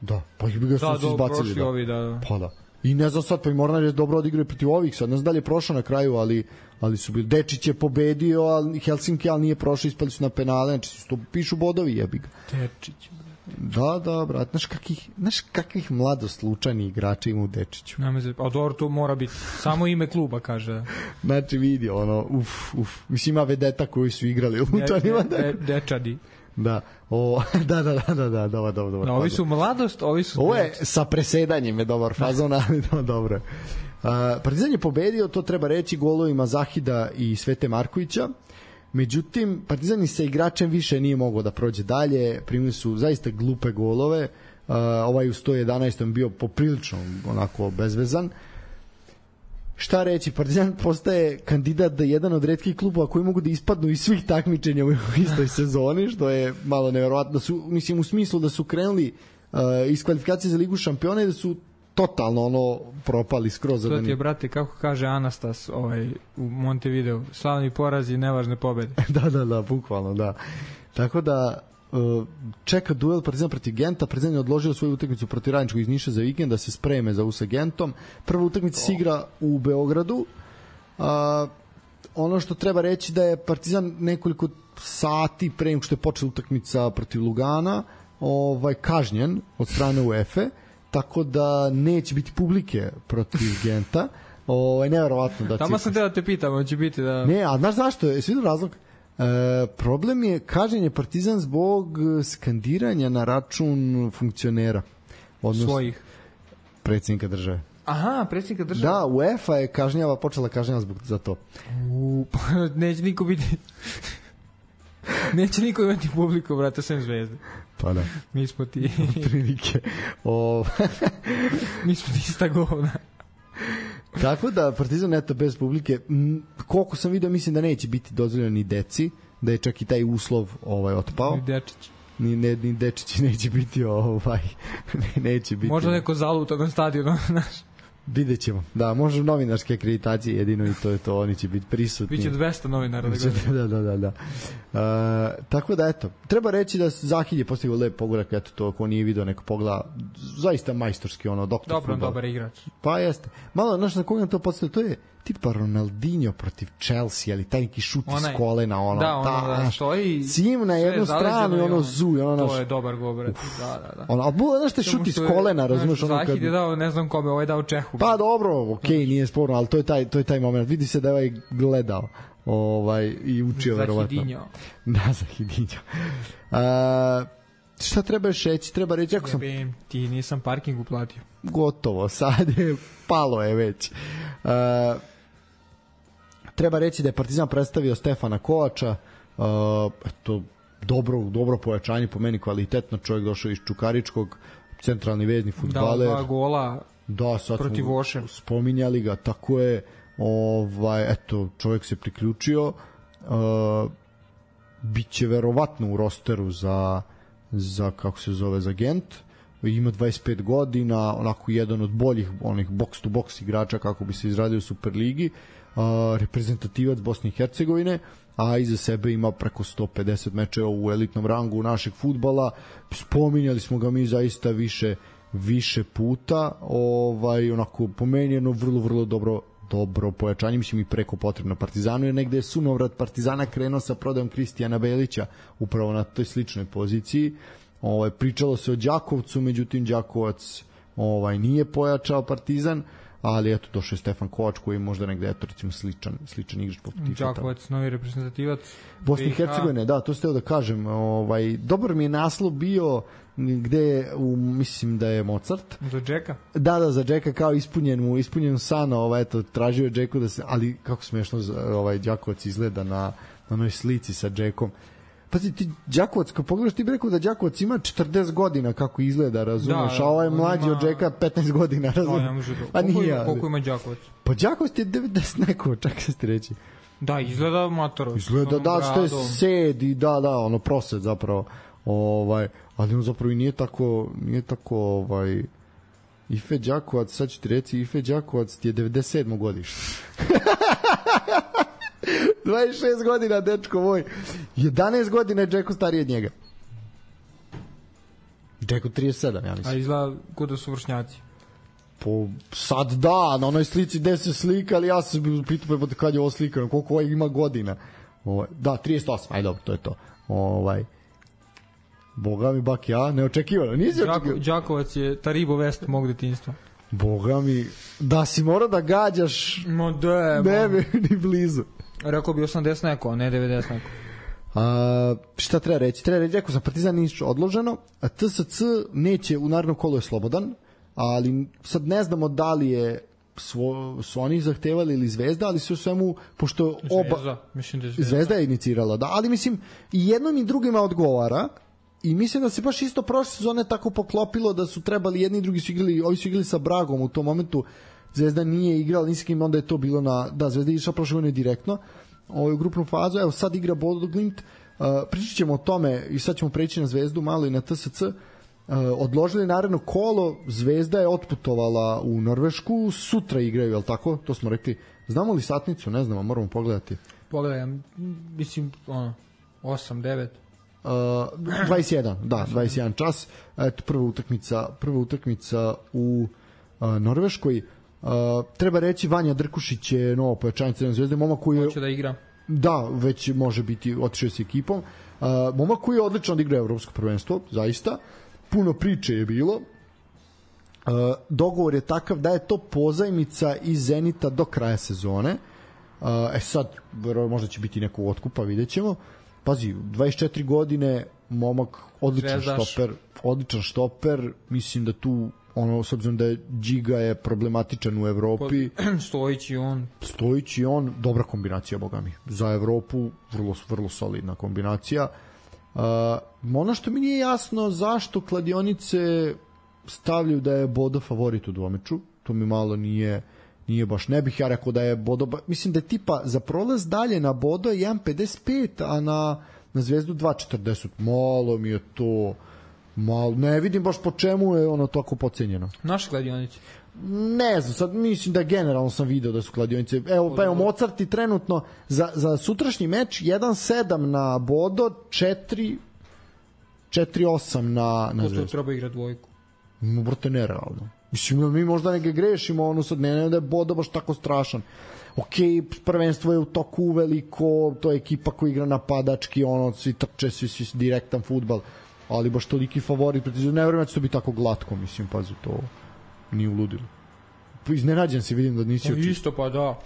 Da, pa ih bi ga su izbacili. Da, ovi, da. Pa da. I ne znam sad, pa i Mornar je dobro odigrao protiv ovih sad. Ne znam da li je prošao na kraju, ali su bili. Dečić je pobedio, ali Helsinki, ali nije prošao, ispali su na penale. Znači, to pišu bodovi, jebi ga. Dečić. Da, brat. Znaš kakvih mladoslučajnih igrača ima u Dečiću? A dobro, to mora biti. Samo ime kluba, kaže. Znači, vidi, uf. Mislim, ima vedeta koji su igrali u Lučanima. Dečadi. Da. Dobro. Ovi su mladost, ovi su... Ovo je sa presedanjem je dobar fazon, ali dobro. Partizan je pobedio, to treba reći, golovima Zahida i Svete Markovića. Međutim, Partizan i sa igračem više nije mogao da prođe dalje. Primili su zaista glupe golove. Ovaj u 111. bio poprilično onako bezvezan. Šta reći, Partizan postaje kandidat da jedan od retkih klubova koji mogu da ispadnu iz svih takmičenja u istoj sezoni, što je malo neverovatno. Mislim, u smislu da su krenuli iz kvalifikacije za Ligu šampiona i da su totalno propali skroz. To ti je, brate, kako kaže Anastas u Montevideo, slavni porazi i nevažne pobede. Da, bukvalno, da. Tako da čeka duel Partizan protiv Genta. Partizan je odložio svoju utakmicu protiv Radničkog iz Niša za vikend da se spreme za sa Gentom. Prva utakmica se igra u Beogradu. Ono što treba reći da je Partizan nekoliko sati pre nego što je počela utakmica protiv Lugana kažnjen od strane UEFA, tako da neće biti publike protiv Genta. Neverovatno da tamo sam da te pitam, hoće biti da... Ne, a znaš zašto? Jesi vidio razlog? Problem je kažnjenje Partizan zbog skandiranja na račun funkcionera, odnosno svojih predsjednika države. Aha, predsjednika države. Da, UEFA je počela kažnjava za to. Neće niko biti neće niko imati publiku, brate, sem Zvezde. Pa da. Mi smo ti prilike. Mi smo ti ista govna. Tako da Partizan eto bez publike, koliko sam vidio, mislim da neće biti dozvoljeno ni deci, da je čak i taj uslov otpao. Ni Dečić. Ni Dečić neće biti neće biti. Možda neko zaluta na stadionu, znaš. Vidjet ćemo. Da, može novinarske akreditacije jedino i to je to, oni će biti prisutni. Biće 200 novinara da gledaju. Da. Tako da, eto, treba reći da Zahid je postigao lep pogodak, eto to, ko nije video neko pogleda, zaista majstorski, doktor fudbal. Dobar igrač. Pa jeste. Malo, znaš na koga nam to postavlja, to je tipa Ronaldinho protiv Chelsea, ali taj neki šut iz kolena, da stoji cim na jednu stranu i zuj, to je dobar gol, brate. Da. Ali znaš te šut iz kolena, razumeš? Zahid je dao, ne znam kome, ovaj dao Čehu. Pa dobro, okej, nije sporno, ali to je taj moment. Vidi se da je ovaj gledao i učio verovatno. Zahidinho. Šta treba reći? Treba reći, ako sam... Ti nisam parking uplatio. Gotovo, sad je palo je već. Treba reći da je Partizan predstavio Stefana Kovača, eto, dobro pojačanje, po meni kvalitetno, čovjek došao iz Čukaričkog, centralni vezni fudbaler. Da, 2 gola protiv Voše. Spominjali ga, tako je, eto, čovjek se priključio, biće verovatno u rosteru za kako se zove, za Gent. Ima 25 godina, onako jedan od boljih onih box to box igrača kako bi se izradio u Superligi, reprezentativac Bosne i Hercegovine, a iza sebe ima preko 150 mečeva u elitnom rangu našeg fudbala. Spominjali smo ga mi zaista više puta, onako pomenjeno, vrlo dobro pojačanje, mislim i preko potrebno Partizanu, jer negde je sunovrat Partizana krenuo sa prodajom Kristijana Belića upravo na toj sličnoj poziciji. Pričalo se o Đakovcu, međutim Đakovac nije pojačao Partizan, ali eto došao je Stefan Kovač koji je možda negde recimo sličan igrač poput Tifeta. Đakovac, novi reprezentativac Bosne i Hercegovine, da, to ste da kažem. Dobar mi je naslov bio gde mislim da je Mozart. Za Džeka? Da, za Džeka, kao ispunjen san, eto, tražio je Džeku da se, ali kako smešno Đakovac izgleda na onoj slici sa Džekom. Pa ti Đakovac, kad pogledaš, ti bi rekao da Đakovac ima 40 godina kako izgleda, razumeš, a ovaj mlađi od Džeka 15 godina, razumeš. Pa nije. Koliko ima Đakovac? Pa Đakovac ti je 90 neko, čak se ti reći. Da, izgleda matoro. Izgleda da, što je sed i da, prosed zapravo. Ali on zapravo i nije tako Ife Đakovac, sad ću ti reći, Ife Đakovac ti je 97. godište. 26 godina, dečko moj. 11 godina je Džeko stariji od njega. Džeko 37, ja mislim. A izgleda kod da su vršnjaci. Po, sad da, na onoj slici gde se slika, ali ja sam pitao pa kad je ovo slikano, koliko ovaj ima godina. Da, 38, aj dobro, to je to. Boga mi bak ja, neočekivano, nisi očekivano. Đakovac je Taribo Vest mog detinjstva. Boga mi, da si morao da gađaš, ne bi ni blizu. Rekao bi 80 neko, a ne 90 neko. Šta treba reći? Treba reći, rekao sam, Partizan Niš odloženo, a TSC neće, u narednom kolu je slobodan, ali sad ne znamo da li je su oni zahtevali ili Zvezda, ali sve u svemu, pošto Zvezda je inicirala, da, ali mislim i jednom i drugima odgovara i mislim da se baš isto prošle sezone tako poklopilo da su trebali jedni i drugi su igrali, ovi su igrali sa Bragom u tom momentu, Zvezda nije igrala ni s kim, onda je to bilo Zvezda je išla prošle godine direktno u grupnu fazu, evo sad igra Bodo Glimt, pričat ćemo o tome i sad ćemo preći na Zvezdu malo i na TSC. Odložili naredno kolo, Zvezda je otputovala u Norvešku, sutra igraju, je li tako? To smo rekli. Znamo li satnicu? Ne znamo, moramo pogledati. Pogledam, mislim, 8, 9. 21, da, 21 čas. Eto, prva utakmica u Norveškoj. Treba reći, Vanja Drkušić je novo pojačanje Crvene Zvezde, momak koji je... Hoće da igra. Da, već može biti, otišao s ekipom. Momak koji je odlično odigrao evropsko prvenstvo, zaista. Puno priče je bilo. Dogovor je takav da je to pozajmica iz Zenita do kraja sezone. Sad, možda će biti neko otkupa, vidjet ćemo. Pazi, 24 godine, momak, odličan štoper, mislim da tu, s obzirom da je Džiga je problematičan u Evropi. Stojić i on, dobra kombinacija, boga mi. Za Evropu, vrlo solidna kombinacija. Ono što mi nije jasno, zašto kladionice stavljaju da je Bodo favorit u dvomeču, to mi malo nije baš, ne bih ja rekao da je Bodo, mislim da je tipa za prolaz dalje na Bodo je 1.55, a na Zvezdu 2.40, malo mi je to malo, ne vidim baš po čemu je ono tako pocenjeno. Naše kladionice? Ne znam, sad mislim da generalno sam video da su kladionice, evo Mozart i trenutno za sutrašnji meč 1.7 na Bodo, 4.8 na Zvezdu. To treba igrati dvojku. Brate, nerealno. Mislim, mi možda neke grešimo, sad ne da je Bodo baš tako strašan. Prvenstvo je u toku uveliko, to je ekipa koja igra napadački, svi trče, svi direktan fudbal, ali baš toliki favorit, ne vreme će to biti tako glatko, mislim, pazi, to nije uludilo. Iznenađen si, vidim da nisi očito. Isto, pa da.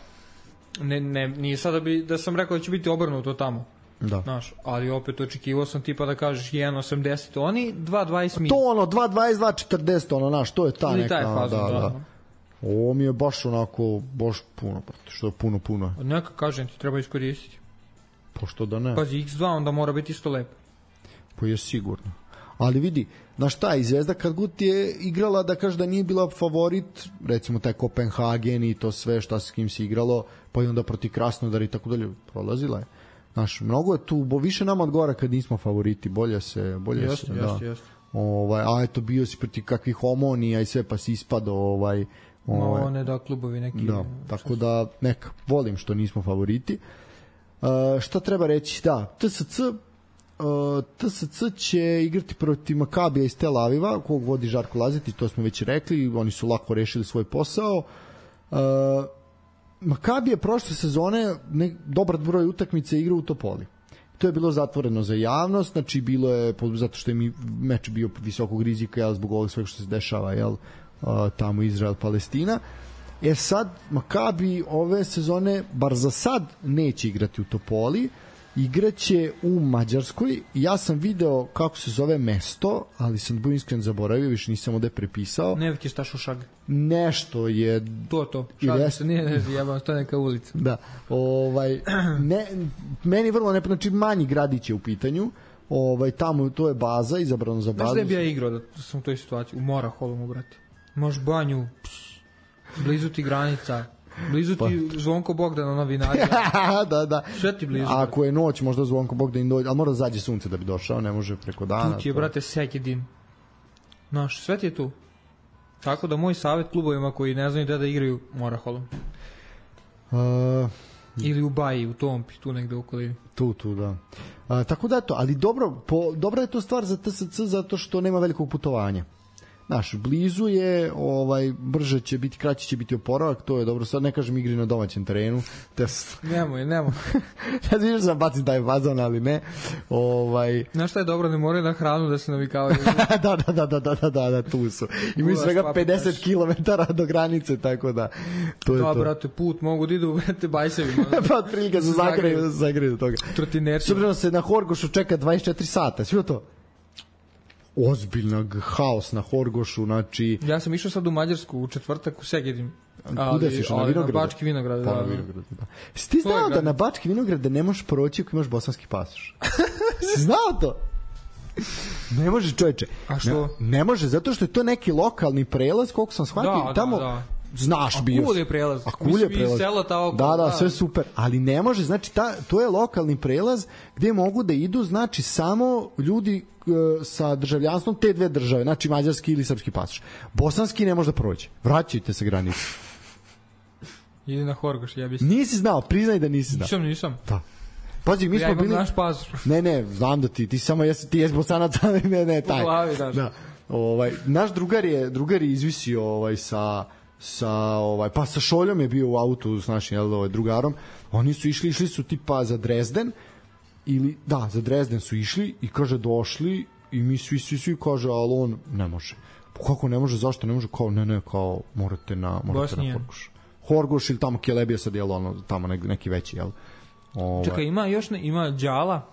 Nije sada da sam rekao da će biti obrnuto tamo. Da. Znaš, ali opet očekivao sam tipa da kažeš 1.80, oni 2.20 mi. To 2.20, 2.40, to je ta neka. Taj fazon, da. Ovo mi je baš onako, baš puno, što je puno. Neka kažem ti, treba iskoristiti. Pošto da ne. Pazi, X2 onda mora biti isto lepo. Pa je sigurno. Ali vidi, znaš šta, i Zvezda kad god je igrala da kaže da nije bila favorit, recimo taj Kopenhagen i to sve šta s kim se igralo, pa i onda protiv Krasnodara i tako dalje, prolazila je. Znaš, mnogo je tu, više nama odgovara kad nismo favoriti, bolje se. Jeste. A eto, bio si protiv kakvih Omonija i sve, pa si ispadao ne da klubovi neki. Da, tako da neka, volim što nismo favoriti. Šta treba reći? Da, TSC će igrati protiv Makabija iz Tel Aviva, kog vodi Žarko Lazetić, to smo već rekli, oni su lako rešili svoj posao. Makabi je prošle sezone dobar broj utakmice igrao u Topoli. To je bilo zatvoreno za javnost, znači bilo je, zato što je meč bio visokog rizika, zbog ovog svega što se dešava, tamo Izrael-Palestina. Sad, Makabi ove sezone, bar za sad, neće igrati u Topoli, igraće u Mađarskoj. Ja sam video kako se zove mesto, ali sam da budem iskren zaboravio, više nisam ovde prepisao. Nevki Stašušag. Nešto je... To. Šalim se, nije jebam, to je neka ulica. Da. Meni vrlo ne... Znači, manji gradić je u pitanju. Tamo, to je baza, izabrano za bazu. Znaš da bi ja igrao da sam u toj situaciji? U Moraholomu, brate. Možeš banju, blizu ti granica... Blizu ti Zvonko Bogdan, ona vinarija. Da. Sve ti blizu. Ako je noć, možda Zvonko Bogdan dođe, ali mora da zađe sunce da bi došao, ne može preko dana. Tu ti je, brate, Sekedin. Znaš, sve ti je tu. Tako da moj savjet klubovima koji ne znaju da igraju Moraholom. Ili u Baji, u Tompi, tu negde u okolini. Tu, da. Tako da eto, ali dobra je to stvar za TSC zato što nema velikog putovanja. Znaš, blizu je, brže će biti, kraće će biti oporavak, to je dobro. Sad ne kažem igri na domaćem terenu. Nemoj. Sad vidiš da bacim taj fazon, ali ne. Znaš šta je dobro, ne moraju na hranu da se navikavaju. Da, tu su. Imaju svega 50 km do granice, tako da to je to. Da, brate, put mogu da idu u bajsevima. Pa otprilike se zagreju do toga. Trotinerci. Subredno se na Horgošu čeka 24 sata, svi to? Ozbiljnog haos na Horgošu, znači... Ja sam išao sad u Mađarsku u četvrtak u Segedin. Kuda si išao? Na Vinograd? Na Bački Vinograd, da. Si ti znao da na Bački Vinograd ne možeš proći ako imaš bosanski pasoš? Si znao to? Ne može, čoveče. A što? Ne može, zato što je to neki lokalni prelaz, koliko sam shvatio. Da. Znaš, bio. A Kulj je prelaz. Da, sve super. Ali ne može, znači to je lokalni prelaz gde mogu da idu, znači samo ljudi sa državljanstvom te dve države, znači mađarski ili srpski pasoš. Bosanski ne može da prođe. Vraćajte se granice. Idi na Horgoš, Nisi znao, priznaj da nisi znao. Nisam. Da. Pazi, mi smo bili... naš pasoš. Ne, znam da ti samo ti jesi Bosanac, ali ne, taj. U glavi, daš. Da. Naš drugar je izvisio sa Šoljom je bio u autu s našim drugarom. Oni su išli su tipa za Dresden za Dresden su išli i kaže došli i mi svi kaže, ali on ne može. Kako ne može, zašto ne može? Kao ne, kao morate na Horgoš ili tamo Kelebija sad, tamo neki veći, jel? Čekaj, ima Đala?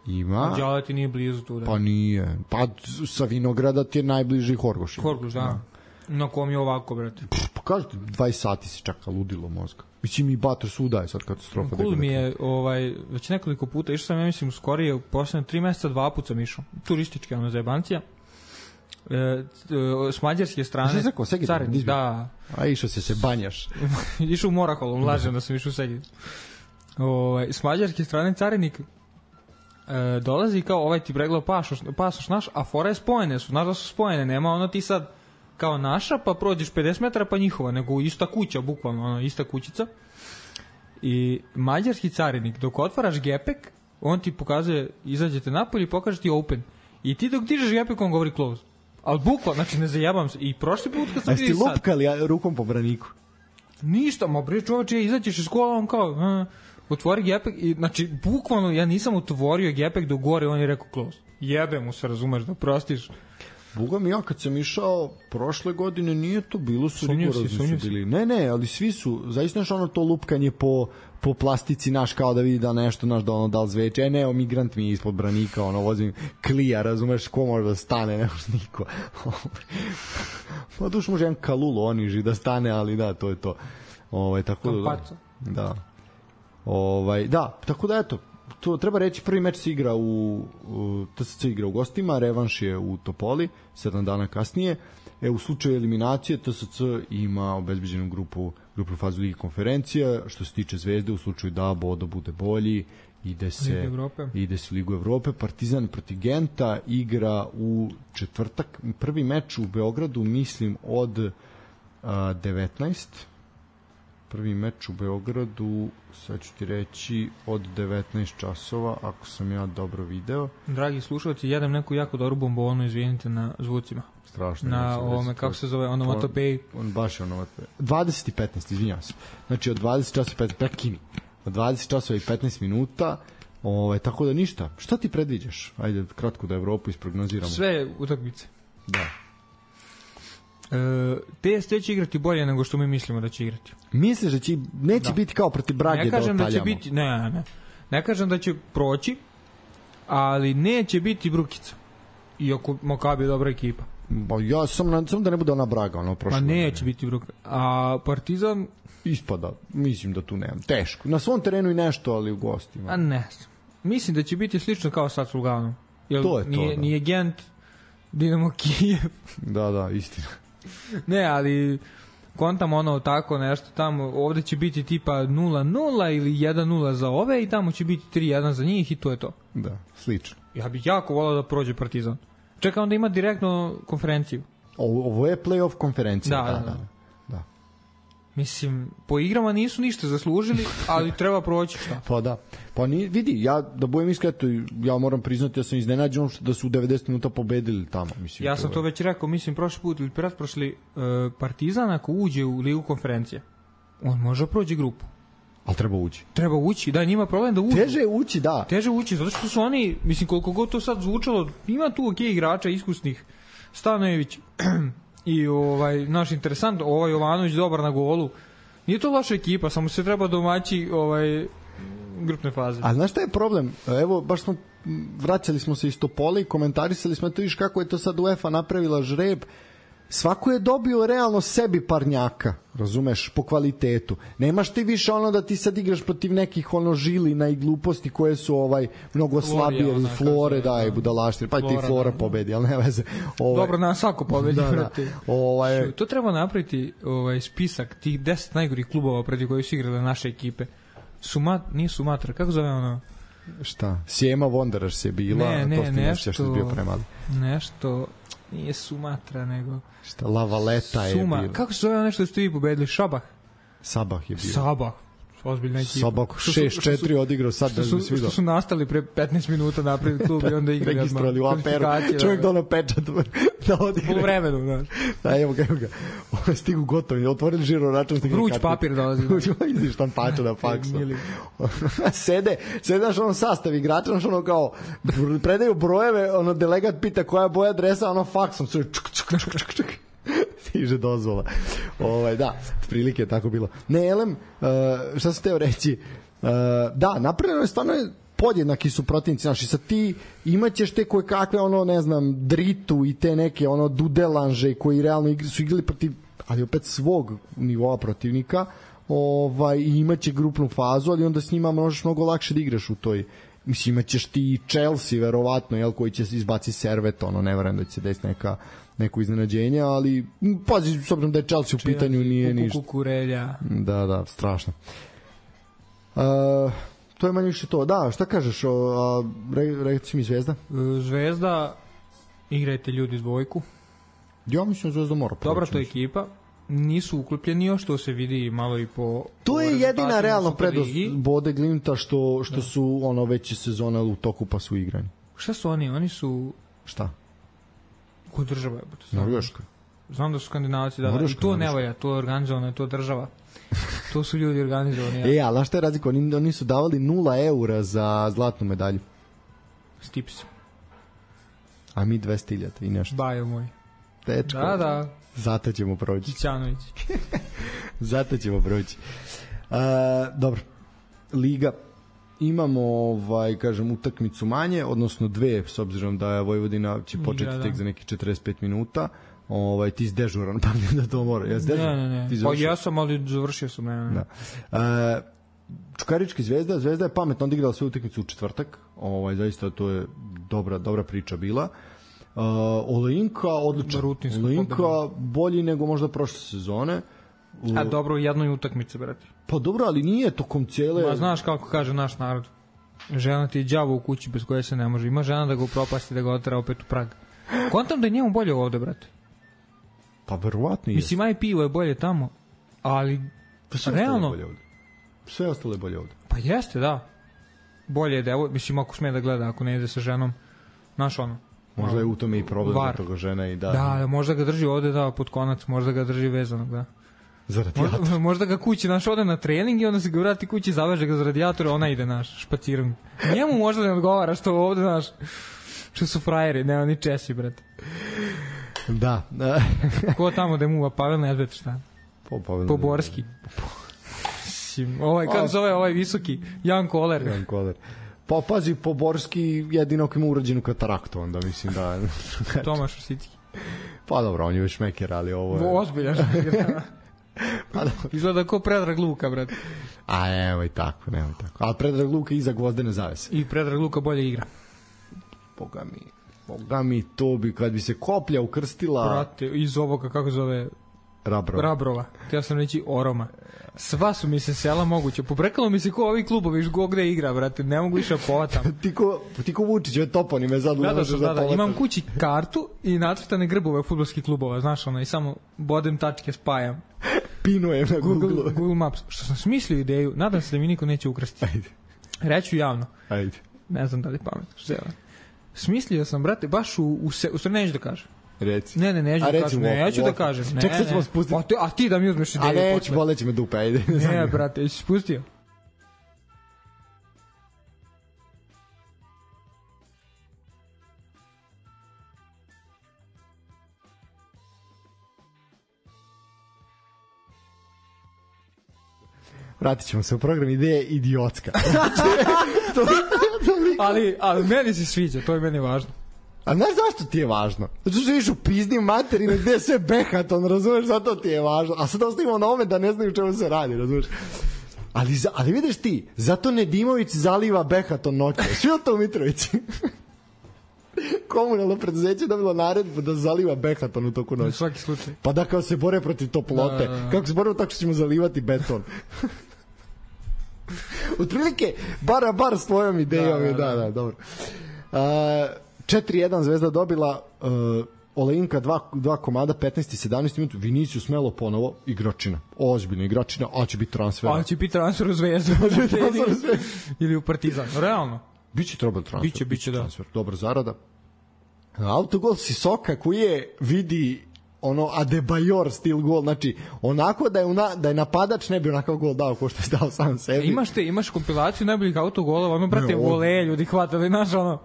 Ima. A Đala ti nije blizu tu, da? Pa nije. Pa sa Vinograda ti je najbliži Horgoš. Horgoš, da. Na kom je ovako, brate? Pa kažete, 20 sati se čeka, ludilo mozga. Mislim, i Bator svuda je sad katastrofa. Cool mi je, već nekoliko puta, išao sam, ja mislim, skorije, u poslednje 3 meseca 2 puta sam išao. Turistički, zajebancija. S mađarske strane. Što je rekao, Segedin? Da. A išao se banjaš. Išao u Moraholom, lažem da sam išao u Segedin. S mađarske strane carinik dolazi kao ti pregledao pasoš naš, a fora je spojene su, znaš da su spojene, nema ti sad kao naša, pa prođeš 50 metara pa njihova, nego ista kuća, bukvalno, ista kućica. I mađarski carinik, dok otvaraš gepek, on ti pokazuje, izađete napolje i pokaže ti open. I ti dok dižeš gepek, on govori close. Ali bukvalno, znači ne zajebam se. I prošli put kad sam vidio sad... A jeste lupkali rukom po braniku? Ništa, bre čoveče, izađeš iz kola, on kao... otvori gepek i, znači, bukvalno ja nisam otvorio gepek do gore, on je rekao close. Jebe mu se, razumeš, da prostiš. Boga mi, ja kad sam išao prošle godine, nije to bilo, su rigorozni su bili. Ne, ali svi su, zaista to lupkanje po plastici, naš, kao da vidi da nešto, naš, da li zveče. Ne, migrant mi je ispod branika, vozim klija, razumeš, ko može da stane, ne može niko. Pa duš može jedan kalul oniži da stane, ali da, to je to. Tako da. Da, tako da eto, to treba reći, prvi meč se igra TSC igra u gostima, revanš je u Topoli 7 dana kasnije. U slučaju eliminacije TSC ima obezbeđenu grupu fazu Ligi konferencija. Što se tiče Zvezde, u slučaju da Bodo bude bolji, ide se u Ligu Evrope. Partizan protiv Genta igra u četvrtak, prvi meč u Beogradu, mislim od 19. Prvi meč u Beogradu, sad ću ti reći, od 19 časova, ako sam ja dobro video. Dragi slušalci, jedem neku jako dobru bombonu, izvinite na zvucima. Strašno. Na ovome, kako se zove, onomatopeji. Baš je onomatopeji. 20 i 15, izvinjam se. Znači od 20 časova i 15, prekini. Od 20 časova i 15 minuta, tako da ništa. Šta ti predviđaš? Ajde, kratko da Evropu isprognoziramo. Sve utakmice. Da. TSC će igrati bolje nego što mi mislimo da će igrati. Misliš da neće biti kao protiv Brage da otaljamo? Da će biti, ne kažem da će proći, ali neće biti brukica. Iako Makabi je dobra ekipa. Ja sam da ne bude ona Braga, prošle. Neće biti brukica. A Partizan ispada, mislim da tu nemam. Teško. Na svom terenu i nešto, ali u gostima. Ne. Mislim da će biti slično kao sad s Luganom. To je to. Nije Gent, Dinamo Kijev. Da, istina. Ne, ali kontam tako nešto tamo, ovde će biti tipa 0-0 ili 1-0 za ove i tamo će biti 3-1 za njih i to je to. Da, slično. Ja bih jako volao da prođe Partizan. Čekam da ima direktno konferenciju. Ovo je play-off konferencija. Da. Mislim, po igrama nisu ništa zaslužili, ali treba proći šta. Pa da. Pa vidi, ja da budem iskreto, ja moram priznati, ja sam iznenađen da su u 90 minuta pobedili tamo. Mislim, ja sam to već rekao, mislim, prošli put ili pretprošli, Partizan ako uđe u ligu konferencije, on može proći grupu. Ali treba ući. Treba ući, da, njima problem da uđu. Teže ući, da. Teže ući, zato što su oni, mislim, koliko god to sad zvučalo, ima tu ok igrača, iskusnih, Stanojević i naš interesant, Jovanović dobar na golu. Nije to loša ekipa, samo se treba domaći grupne faze. A znaš šta je problem? Evo, baš vraćali smo se iz Topole i komentarisali smo to, viš kako je to sad UEFA napravila žreb. Svako je dobio realno sebi parnjaka, razumeš, po kvalitetu. Nemaš ti više ono da ti sad igraš protiv nekih žilina i gluposti koje su mnogo slabije, Flore, da, i budalaštine, pa i ti Flora pobedi, ali ne veze. Dobro, nas svako pobedi. To treba napraviti spisak tih 10 najgorih klubova protiv kojih su igrale naše ekipe. Nije Sumatra, kako zove ono? Šta? Sijema Wanderers je bila, to ste nešto što je bio premali. Nešto... Nije Sumatra, nego... Šta, La Valeta je bio. Kako se zove nešto da ste vi pobedili? Sabah je bio. Sabah. Ozbiljna ekipa. Sabah 6-4 odigrao sad da se vidio. Što su nastali pre 15 minuta napred klub i onda igrali. Registrovali u Aperu. Čovjek da pečat da odigra. U vremenu, znaš. Da, evo ga. Stigu gotovi, otvorili žiro račun. Vruć papir dolazi. Izi štampača na faksu. Sede, naš sastav igrača, naš kao predaju brojeve, delegat pita koja je boja adresa, faksom sve čuk. Stiže dozvola. Da, prilike je tako bilo. Ne, Elem, šta sam teo reći? Da, napravljeno je stvarno podjednaki su protivnici naši. Sad ti imaćeš te koje kakve, ne znam, Dritu i te neke, Dudelanže koji realno su igrali protiv, ali opet svog nivoa protivnika, i imaće grupnu fazu, ali onda s njima možeš mnogo lakše da igraš u toj. Mislim, imaćeš ti Chelsea, verovatno, koji će izbaci Servet, ne verujem da će se desiti neko iznenađenje, ali pazi, s obzirom da je Chelsea u pitanju, nije ništa. Kukurelja. Da, strašno. To je manje više to. Da, šta kažeš, reci mi Zvezda? Zvezda, igrajte ljudi dvojku. Ja mislim Zvezda mora proći. Dobra to ekipa. Nisu uklopljeni još, što se vidi malo i po... To je jedina realno prednost Bode Glimta što su već sezona u toku pa su igrani. Šta su oni? Oni su... Šta? Koja država je? Norveška. Znam da su Skandinavci, da. I to ne valja, to je organizovano, to je država. To su ljudi organizovani. Ali šta je razlika? Oni su davali 0 eura za zlatnu medalju. Stips. A mi 200.000 i nešto. Bajo moj. Tečko. Da. Zato ćemo proći. Kićanović. Zato ćemo proći. Dobro. Liga. Imamo, kažem, utakmicu manje, odnosno 2, s obzirom da je Vojvodina će početi tek za nekih 45 minuta. Ti si dežuran, pa da to mora. Ne. Pa ja sam, ali završio sam. Ne. Čukarički Zvezda je pametno odigrala svoju utakmicu u četvrtak. Zaista to je dobra priča bila. Olejinka odličan. Olejinka bolji nego možda prošle sezone. A dobro u jednoj utakmici, brate. Pa dobro, ali nije tokom cijele... Ma znaš kako kaže naš narod. Žena ti je đavo u kući bez koje se ne može. Ima žena da ga upropasti, da ga otera opet u prag. Kontam da je njemu bolje ovde, brate. Pa verovatno je. Mislim, aj pivo je bolje tamo, ali realno... Sve ostalo je bolje ovde. Pa jeste, da. Bolje je devo, mislim, ako sme da gleda, ako ne ide sa ženom, znaš Možda je u tome i problem za toga žena i da... Da, možda ga drži ovde, pod konac, možda ga drži vezanog, da. Za radijator. Možda ga kući, ode na trening i onda se ga vrati kući, zaveže ga za radijator, ona ide, špacirom. Njemu možda ne odgovara što ovde, što su frajeri, ne, oni Česi, brate. Da. Ko tamo da muva, Pavel Nedved, šta? Poborski. Kako zove ovaj visoki? Jan Koler. Pa pazi, Poborski jedino ako ima urađenu kataraktu, onda mislim da... Tomaš Osicki. Pa dobro, on je već šmeker, ali ovo je... Ozbiljan šmeker. Izgleda ko Predrag Luka, brate. A nemoj tako. Ali Predrag Luka iza Gvozdene zavese. I Predrag Luka bolje igra. Boga mi, to bi, kad bi se koplja ukrstila... Brate, iz ovoga, kako zove... Rabrova. Htio sam reći Oroma. Sva su mi se sela moguće. Pobrekalo mi se ko ovi klubovi gde igra, brate. Ne mogu više povatam. ti ko Vučić, ove toponime sad ne možeš da povataš. Imam kući kartu i nacrtane grbove fudbalskih klubova, znaš ono, i samo bodem tačke spajam. Pinujem na Google Maps. Što sam smislio ideju, nadam se da mi niko neće ukrasti. Ajde. Reću javno. Ajde. Ne znam da li pametno. Smislio sam, brate, baš u stvari neću da kažem. Reci. Ne, neću da kažem. Ne, ja ću da kažem. Ček, sad ćemo spustiti. A ti da mi uzmeš ideju. A neću, boleće me dupe, ajde. Ne, brate, jesi spustio? Vratit ćemo se u program, ideja idiotska. ali meni se sviđa, to je meni važno. A znaš zašto ti je važno? Zato što viš u pizdim materinu gde je sve behaton, razumeš, zato ti je važno. A sad ostavimo na ome da ne znaju čemu se radi, razumeš. Ali vidiš ti, zato Nedimović zaliva behaton noće. Svi od to u Mitrovici. Komunalno preduzeće dobilo naredbu da zaliva behaton u toku noći. U svaki slučaj. Pa da kao se bore protiv toplote. Da. Kako se borimo tako što ćemo zalivati beton. Otprilike, bar s tvojom idejom. Da, dobro. 4-1 Zvezda dobila, Olejinka 2 komada, 15 i 17 minuta, Vinicius Melo ponovo, igračina, ozbiljna igračina, a će biti transfer. A će biti transfer u Zvezdu. Ili u Partizan, realno. Biće trebalo transfer. Biće, da. Transfer. Dobra zarada. Autogol Sisoka koji je vidi ono Adebayor stil gol, znači onako da je napadač ne bi onakav gol dao ko što je dao sam sebi. Imaš kompilaciju najboljih autogolova, ono brate vole ljudi hvatali, znaš ono.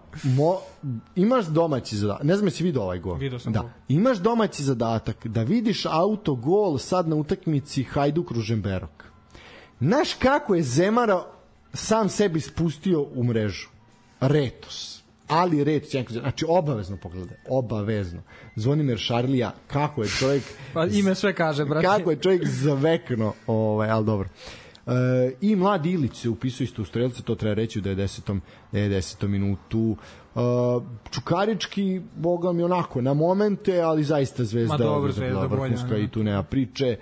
Imaš domaći zadatak, ne znam jesi vidio ovaj gol. Vidio sam da. gol. Imaš domaći zadatak da vidiš autogol sad na utakmici Hajduk Ružomberok. Znaš kako je Zemara sam sebi spustio u mrežu? Retos. Ali Retos, znači obavezno pogledaj, obavezno. Zvonimir Šarlija, kako je čovjek... Pa ime sve kaže, brate. Kako je čovjek zavekno, ali dobro. I mladi Ilić se upisuje isto u strelce, to treba reći u 90. minutu. Čukarički, boga mi onako, na momente, ali zaista Zvezda vrhunska i tu nema priče.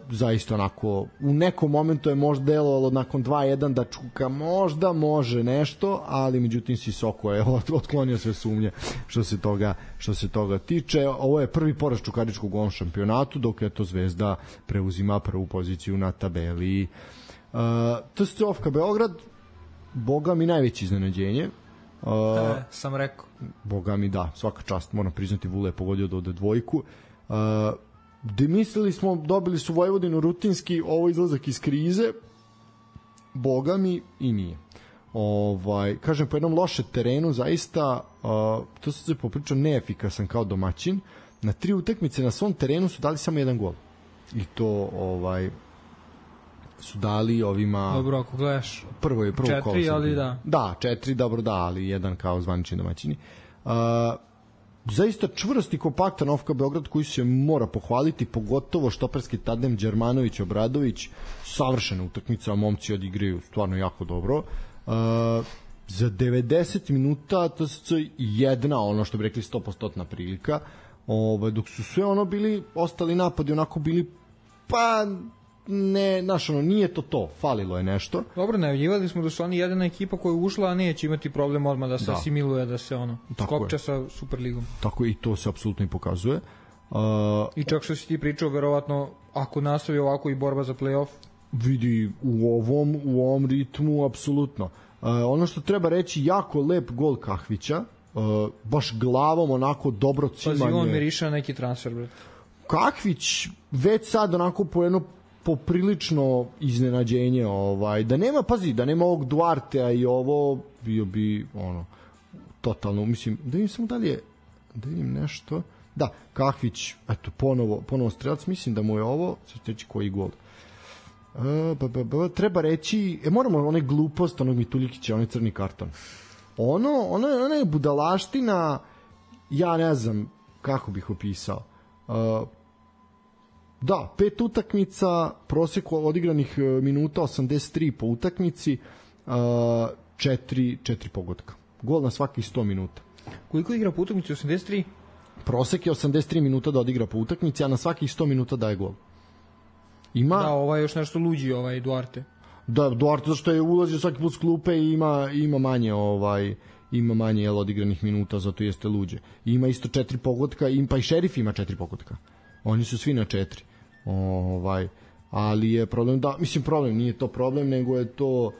Zaista onako u nekom momentu je možda delovalo nakon 2-1 da Čuka možda može nešto, ali međutim Sisoko je otklonio sve sumnje što se toga tiče. Ovo je prvi poraz Čukaričkog u ovom šampionatu, dok je to Zvezda preuzima prvu poziciju na tabeli. TSC Beograd, boga mi najveće iznenađenje. Sam rekao. Boga mi da, svaka čast, moram priznati, Vule je pogodio do dvojku. Gde mislili smo, dobili su Vojvodinu rutinski, ovo izlazak iz krize, boga mi i nije. Kažem, po jednom lošem terenu zaista, to se popričao, neefikasan kao domaćin. Na 3 utakmice na svom terenu su dali samo 1 gol. I to su dali ovima... Dobro, ako gledaš prvo 4, ali da. Da, 4, dobro da, ali 1 kao zvanični domaćini. Zaista čvrst i kompaktan OFK Beograd koji se mora pohvaliti, pogotovo štoperski tandem Đermanović Obradović, savršena utakmica, momci odigraju stvarno jako dobro. Za 90 minuta TSC jedna, ono što bi rekli 100% prilika, dok su sve ono bili, ostali napadi onako bili, pa ne, znaš ono, nije to, falilo je nešto. Dobro, najavljivali smo da su oni jedina ekipa koja je ušla, a neće imati problem odmah da se asimiluje, da se skopče sa Superligom. Tako i to se apsolutno i pokazuje. I čak što si ti pričao, verovatno, ako nastavi ovako i borba za play-off, vidi u ovom ritmu apsolutno. Ono što treba reći, jako lep gol Kahvića, baš glavom onako dobro cimanje. Pazi, on miriše na neki transfer, bret. Kahvić već sad onako po jedno poprilično iznenađenje, da nema, pazi, da nema ovog Duartea i ovo bio bi totalno, mislim, da vidim samo dalje, da vidim nešto, da, Kahvić, eto, ponovo strelac, mislim da mu je ovo, sad reći koji gol, treba reći, moramo onaj glupost onog Mituljikića, onaj crni karton, ona je budalaština, ja ne znam kako bih opisao, da, 5 utakmica, prosek odigranih minuta 83 po utakmici, 4 pogotka. Gol na svakih 100 minuta. Koliko igra po utakmici? 83? prosek je 83 minuta da odigra po utakmici, a na svakih 100 minuta daje gol. Ima... Da, ovaj još nešto luđi, Duarte. Da, Duarte zašto je ulazio svaki put s klupe i ima manje ima manje odigranih minuta, zato jeste luđe. Ima isto 4 pogotka, pa i Šerif ima 4 pogotka. Oni su svi na 4. Ali je problem da, problem nije to problem, nego je to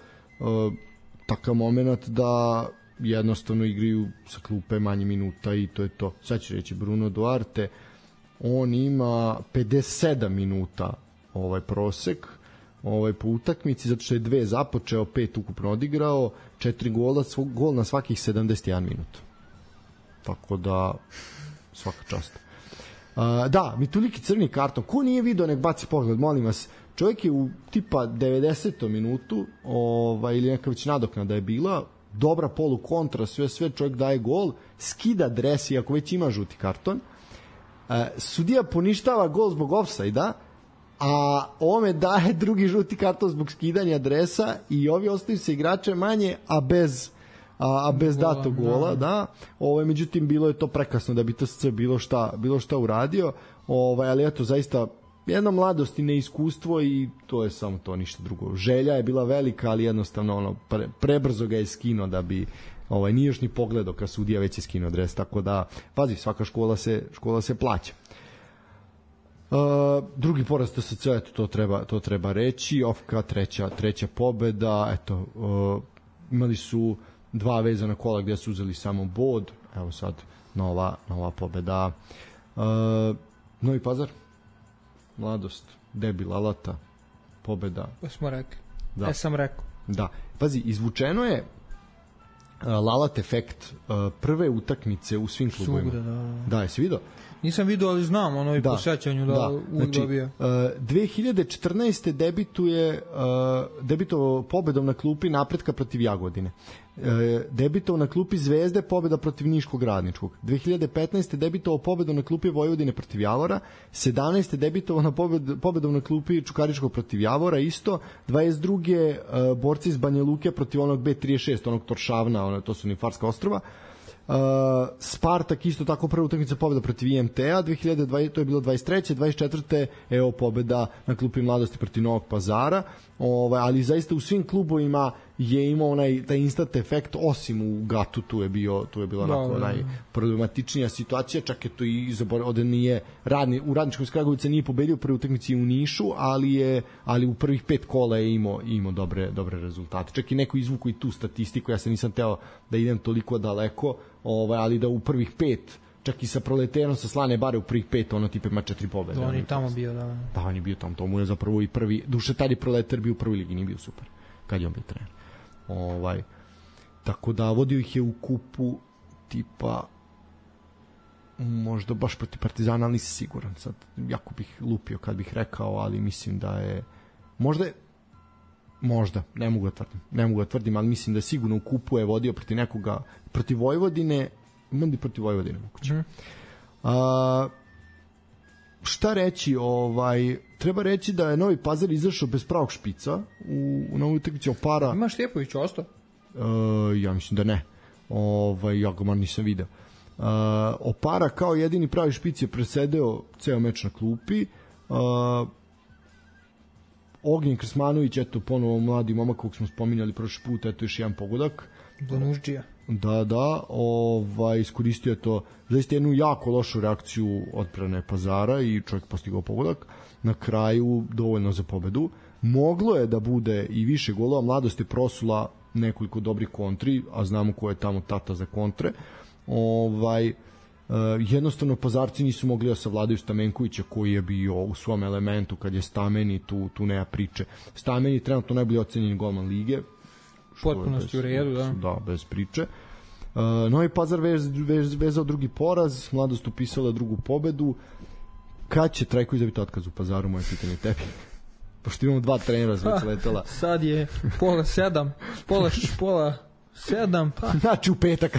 takav moment da jednostavno igraju sa klupe manje minuta i to je to. Sad ću reći Bruno Duarte, on ima 57 minuta prosek po utakmici, zato što je 2 započeo, 5 ukupno odigrao, 4 gola, gol na svakih 71 minut. Tako da svaka čast. Da, Mituliki crni karton. Ko nije video, nek baci pogled, molim vas. Čovjek je u tipa 90. minutu ili neka već nadoknada je bila, dobra polu kontra, sve čovjek daje gol, skida dres, iako već ima žuti karton. Sudija poništava gol zbog ofsajda, a ovome daje drugi žuti karton zbog skidanja dresa i ovi ostaju se igrače manje, a bez datog gola, da. Međutim, bilo je to prekasno da bi TSC bilo šta uradio, ali eto, zaista jedna mladost i neiskustvo i to je samo to, ništa drugo. Želja je bila velika, ali jednostavno prebrzo ga je skinuo da bi nije još ni pogledao kad sudija već je skinuo dres, tako da, pazi, svaka škola se plaća. Drugi poraz TSC, eto, to treba reći. Ofka treća pobeda, eto, imali su 2 vezana kola gdje su uzeli samo bod, evo sad nova pobeda. Novi Pazar, mladost, debil Alata, pobeda. Smo rekli, da. Sam rekao. Da, pazi, izvučeno je Lalat efekt prve utakmice u svim klubovima. Da, jesi vidio? Nisam vidio, ali znam i po sećanju da uvijek dobija. 2014. debitovao pobedom na klupi Napretka protiv Jagodine. Debitovao na klupi Zvezde, pobeda protiv Niškog Radničkog. 2015. debitovao pobedom na klupi Vojvodine protiv Javora. 17. debitovao na pobedom na klupi Čukaričkog protiv Javora isto. 22. borci iz Banja Luke protiv onog B36, onog Toršavna, to su Nifarska ostrva. Spartak isto tako prva utakmica pobeda protiv IMT-a 2020, to je bilo 23. 24. evo pobeda na klupi Mladosti protiv Novog Pazara, ali zaista u svim klubovima je imao taj instant efekt, osim u Gatu, tu je bilo onako najproblematičnija situacija, čak je to i ovde nije u Radničkom iz Kragovica nije pobedio prve utakmici u Nišu, ali u prvih 5 kola je imao dobre rezultate. Čak i neko izvuku i tu statistiku, ja se nisam teo da idem toliko daleko, ali da u prvih 5, čak i sa Proleterom sa Slane Bare u prvih 5, ono tipa ima 4 pobede. On je tamo bio, da. Da, on je bio tamo, to mu je zapravo i prvi, duše tad je Proleter bio u prvoj ligi, nije bio super, kad je on bio trener. Tako da vodio ih je u kupu tipa možda baš protiv Partizana, ali nisam siguran sad, jako bih lupio kad bih rekao, ali mislim da je možda, ne mogu da tvrdim, ali mislim da sigurno u kupu je vodio protiv nekoga, protiv Vojvodine, imam protiv Vojvodine moguće. Šta reći, treba reći da je Novi Pazar izašao bez pravog špica u novoj utakmici Opara. Ima Štjepović ostao? Ja mislim da ne. Ja ga nisam video. Opara kao jedini pravi špic je presedeo ceo meč na klupi. Ognjen Krsmanović, eto ponovo mladi momak kog smo spominjali prošli put, eto još jedan pogodak. Donužđija. Da, iskoristio je to zaista jednu jako lošu reakciju odbrane Pazara i čovjek postigao pogodak. Na kraju dovoljno za pobedu. Moglo je da bude i više golova, Mladost je prosula nekoliko dobrih kontri, a znamo ko je tamo tata za kontre. Jednostavno Pazarci nisu mogli da savladaju Stamenkovića koji je bio u svom elementu, kad je Stameni, tu nema priče. Stameni je trenutno najbolji ocenjeni golman lige, potpunosti u redu, da. Da, bez priče. Novi Pazar vezao drugi poraz, Mladost upisala drugu pobedu. Kad će Trajković zabiti otkaz u Pazaru, moje pitanje tebi? Pošto imamo 2 trenera već letela. Sad je pola 7, pola 7, pa. Znači u petak.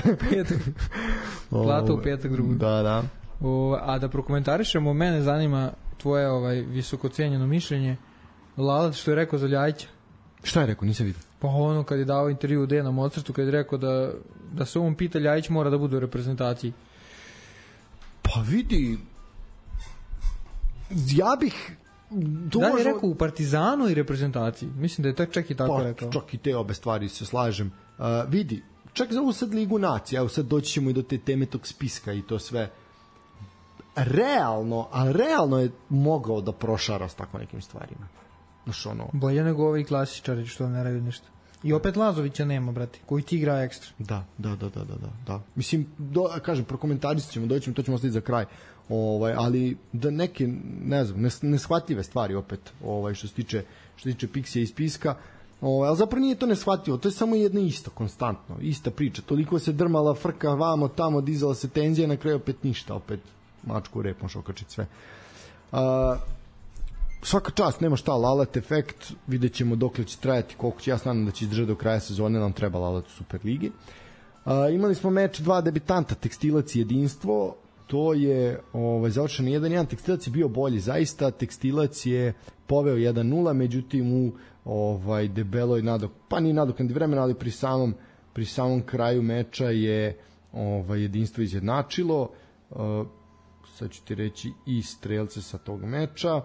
Plata u petak drugu. Da. A da prokomentarišemo, mene zanima tvoje visoko cenjeno mišljenje. Lalat što je rekao za Ljajića. Šta je rekao, nisam vidio. Pa kad je dao intervju u Dejanom Mozartu, kad je rekao da se on pita Ljajić mora da bude u reprezentaciji. Pa Pa vidi, ja bih da li je rekao u Partizanu i reprezentaciji? Mislim da je čak i tako rekao. Čak i te obe stvari se slažem. Vidi, čak za ovu sad Ligu nacija, evo sad doći ćemo i do te teme tog spiska i to sve. Realno je mogao da prošara s tako nekim stvarima. Znaš, ono... Bolje nego ovi klasičari što ne radi ništa. I opet Lazovića nema, brate, koji ti igra ekstra. Da. Mislim, kažem, prokomentarisat ćemo, doćemo, to ćemo ostaviti za kraj. Ali da neke, ne znam, neshvatljive stvari opet, što se tiče Pixija i spiska, ali zapravo nije to neshvatljivo, to je samo jedna ista, konstantno, ista priča, toliko se drmala frka vamo, tamo, dizala se tenzija, na kraju opet ništa, opet mačku u rep, možeš okačiti sve. Svaka čast, nema šta, Lalat efekt, vidjet ćemo dokle će trajati, koliko će, ja znam da će izdržati do kraja sezone, nam treba Lalat u Superligi. Imali smo meč dva debitanta, Tekstilac i Jedinstvo, to je završeno 1-1, Tekstilac je bio bolji, zaista, Tekstilac je poveo 1-0, međutim u debeloj nije nadoknadi vremena, ali pri samom kraju meča je Jedinstvo izjednačilo, sad ću ti reći i strelce sa tog meča.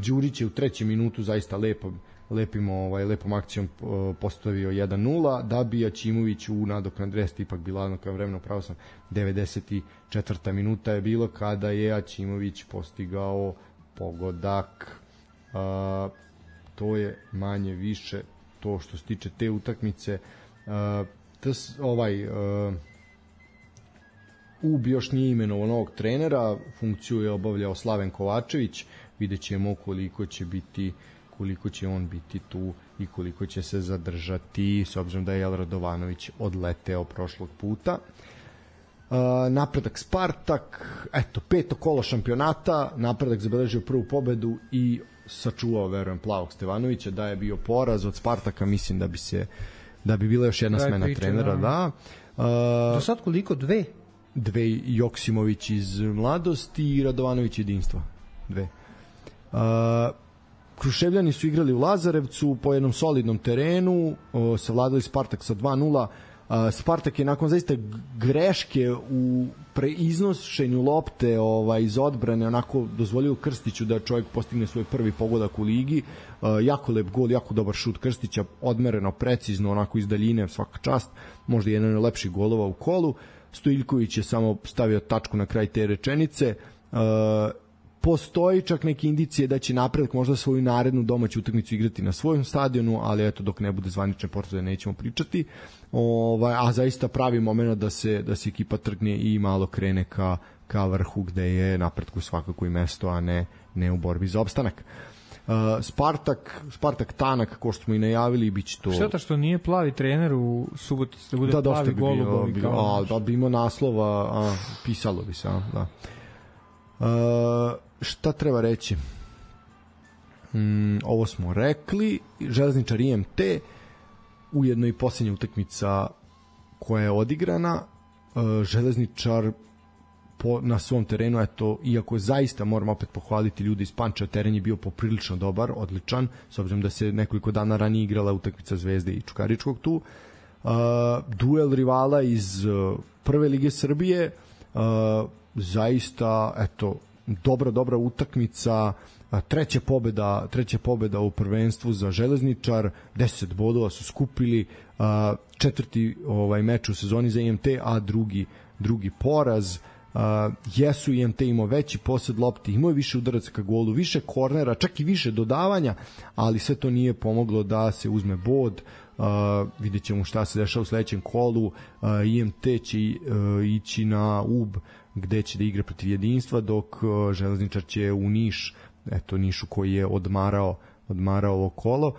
Đurić je u 3. minutu zaista lepom akcijom postavio 1-0, da bi Aćimović u nadoknadi resta ipak bila na krajem vremena, pravo sam, 94. minuta je bilo kada je Aćimović postigao pogodak. To je manje više to što se tiče te utakmice. UB još nije imenovao novog trenera, funkciju je obavljao Slaven Kovačević, vidjet ćemo koliko će on biti tu i koliko će se zadržati, s obzirom da je Jel Radovanović odleteo prošlog puta. Napredak Spartak, eto, 5. kolo šampionata, Napredak zabeležio prvu pobedu i sačuvao, verujem, Plavog Stevanovića. Da je bio poraz od Spartaka, mislim da bi bila još jedna smena trenera. Da. Do sad koliko? Dve, Joksimović iz Mladosti i Radovanović Jedinstva. Dve. Kruševljani su igrali u Lazarevcu po jednom solidnom terenu, savladali Spartak sa 2-0. Spartak je nakon zaista greške u preiznošenju lopte iz odbrane onako dozvolio Krstiću da čovjek postigne svoj prvi pogodak u ligi. Jako lep gol, jako dobar šut Krstića, odmereno, precizno, onako iz daljine, svaka čast, možda jedan od lepših golova u kolu. Stojiljković je samo stavio tačku na kraj te rečenice. Postoji čak neke indicije da će Napredak možda svoju narednu domaću utakmicu igrati na svojom stadionu, ali eto, dok ne bude zvanične potvrde nećemo pričati. A zaista pravi moment da se ekipa trgne i malo krene ka vrhu, gde je Napredku svakako i mesto, a ne u borbi za opstanak. Spartak tanak, kao što smo i najavili, biće to... Šteta što nije plavi trener u Subotici, da bude plavi golubovi. Da bi imao naslova, pisalo bi se, da. Šta treba reći? Ovo smo rekli. Železničar IMT, ujedno i posljednja utakmica koja je odigrana. Železničar na svom terenu, eto, iako zaista moram opet pohvaliti ljudi iz Pančeva, teren je bio poprilično dobar, odličan, s obzirom da se nekoliko dana ranije igrala utakmica Zvezde i Čukaričkog tu. Duel rivala iz Prve lige Srbije, zaista, eto, dobra utakmica, treća pobeda u prvenstvu za Železničar, 10 bodova su skupili, četvrti meč u sezoni za IMT, a drugi poraz. Jesu IMT imao veći posed lopti, imao je više udaraca ka golu, više kornera, čak i više dodavanja, ali sve to nije pomoglo da se uzme bod. Vidjet ćemo šta se dešava u sledećem kolu. IMT će ići na UB, gde će da igra protiv Jedinstva, dok Železničar će u Niš, eto, Nišu koji je odmarao ovo kolo.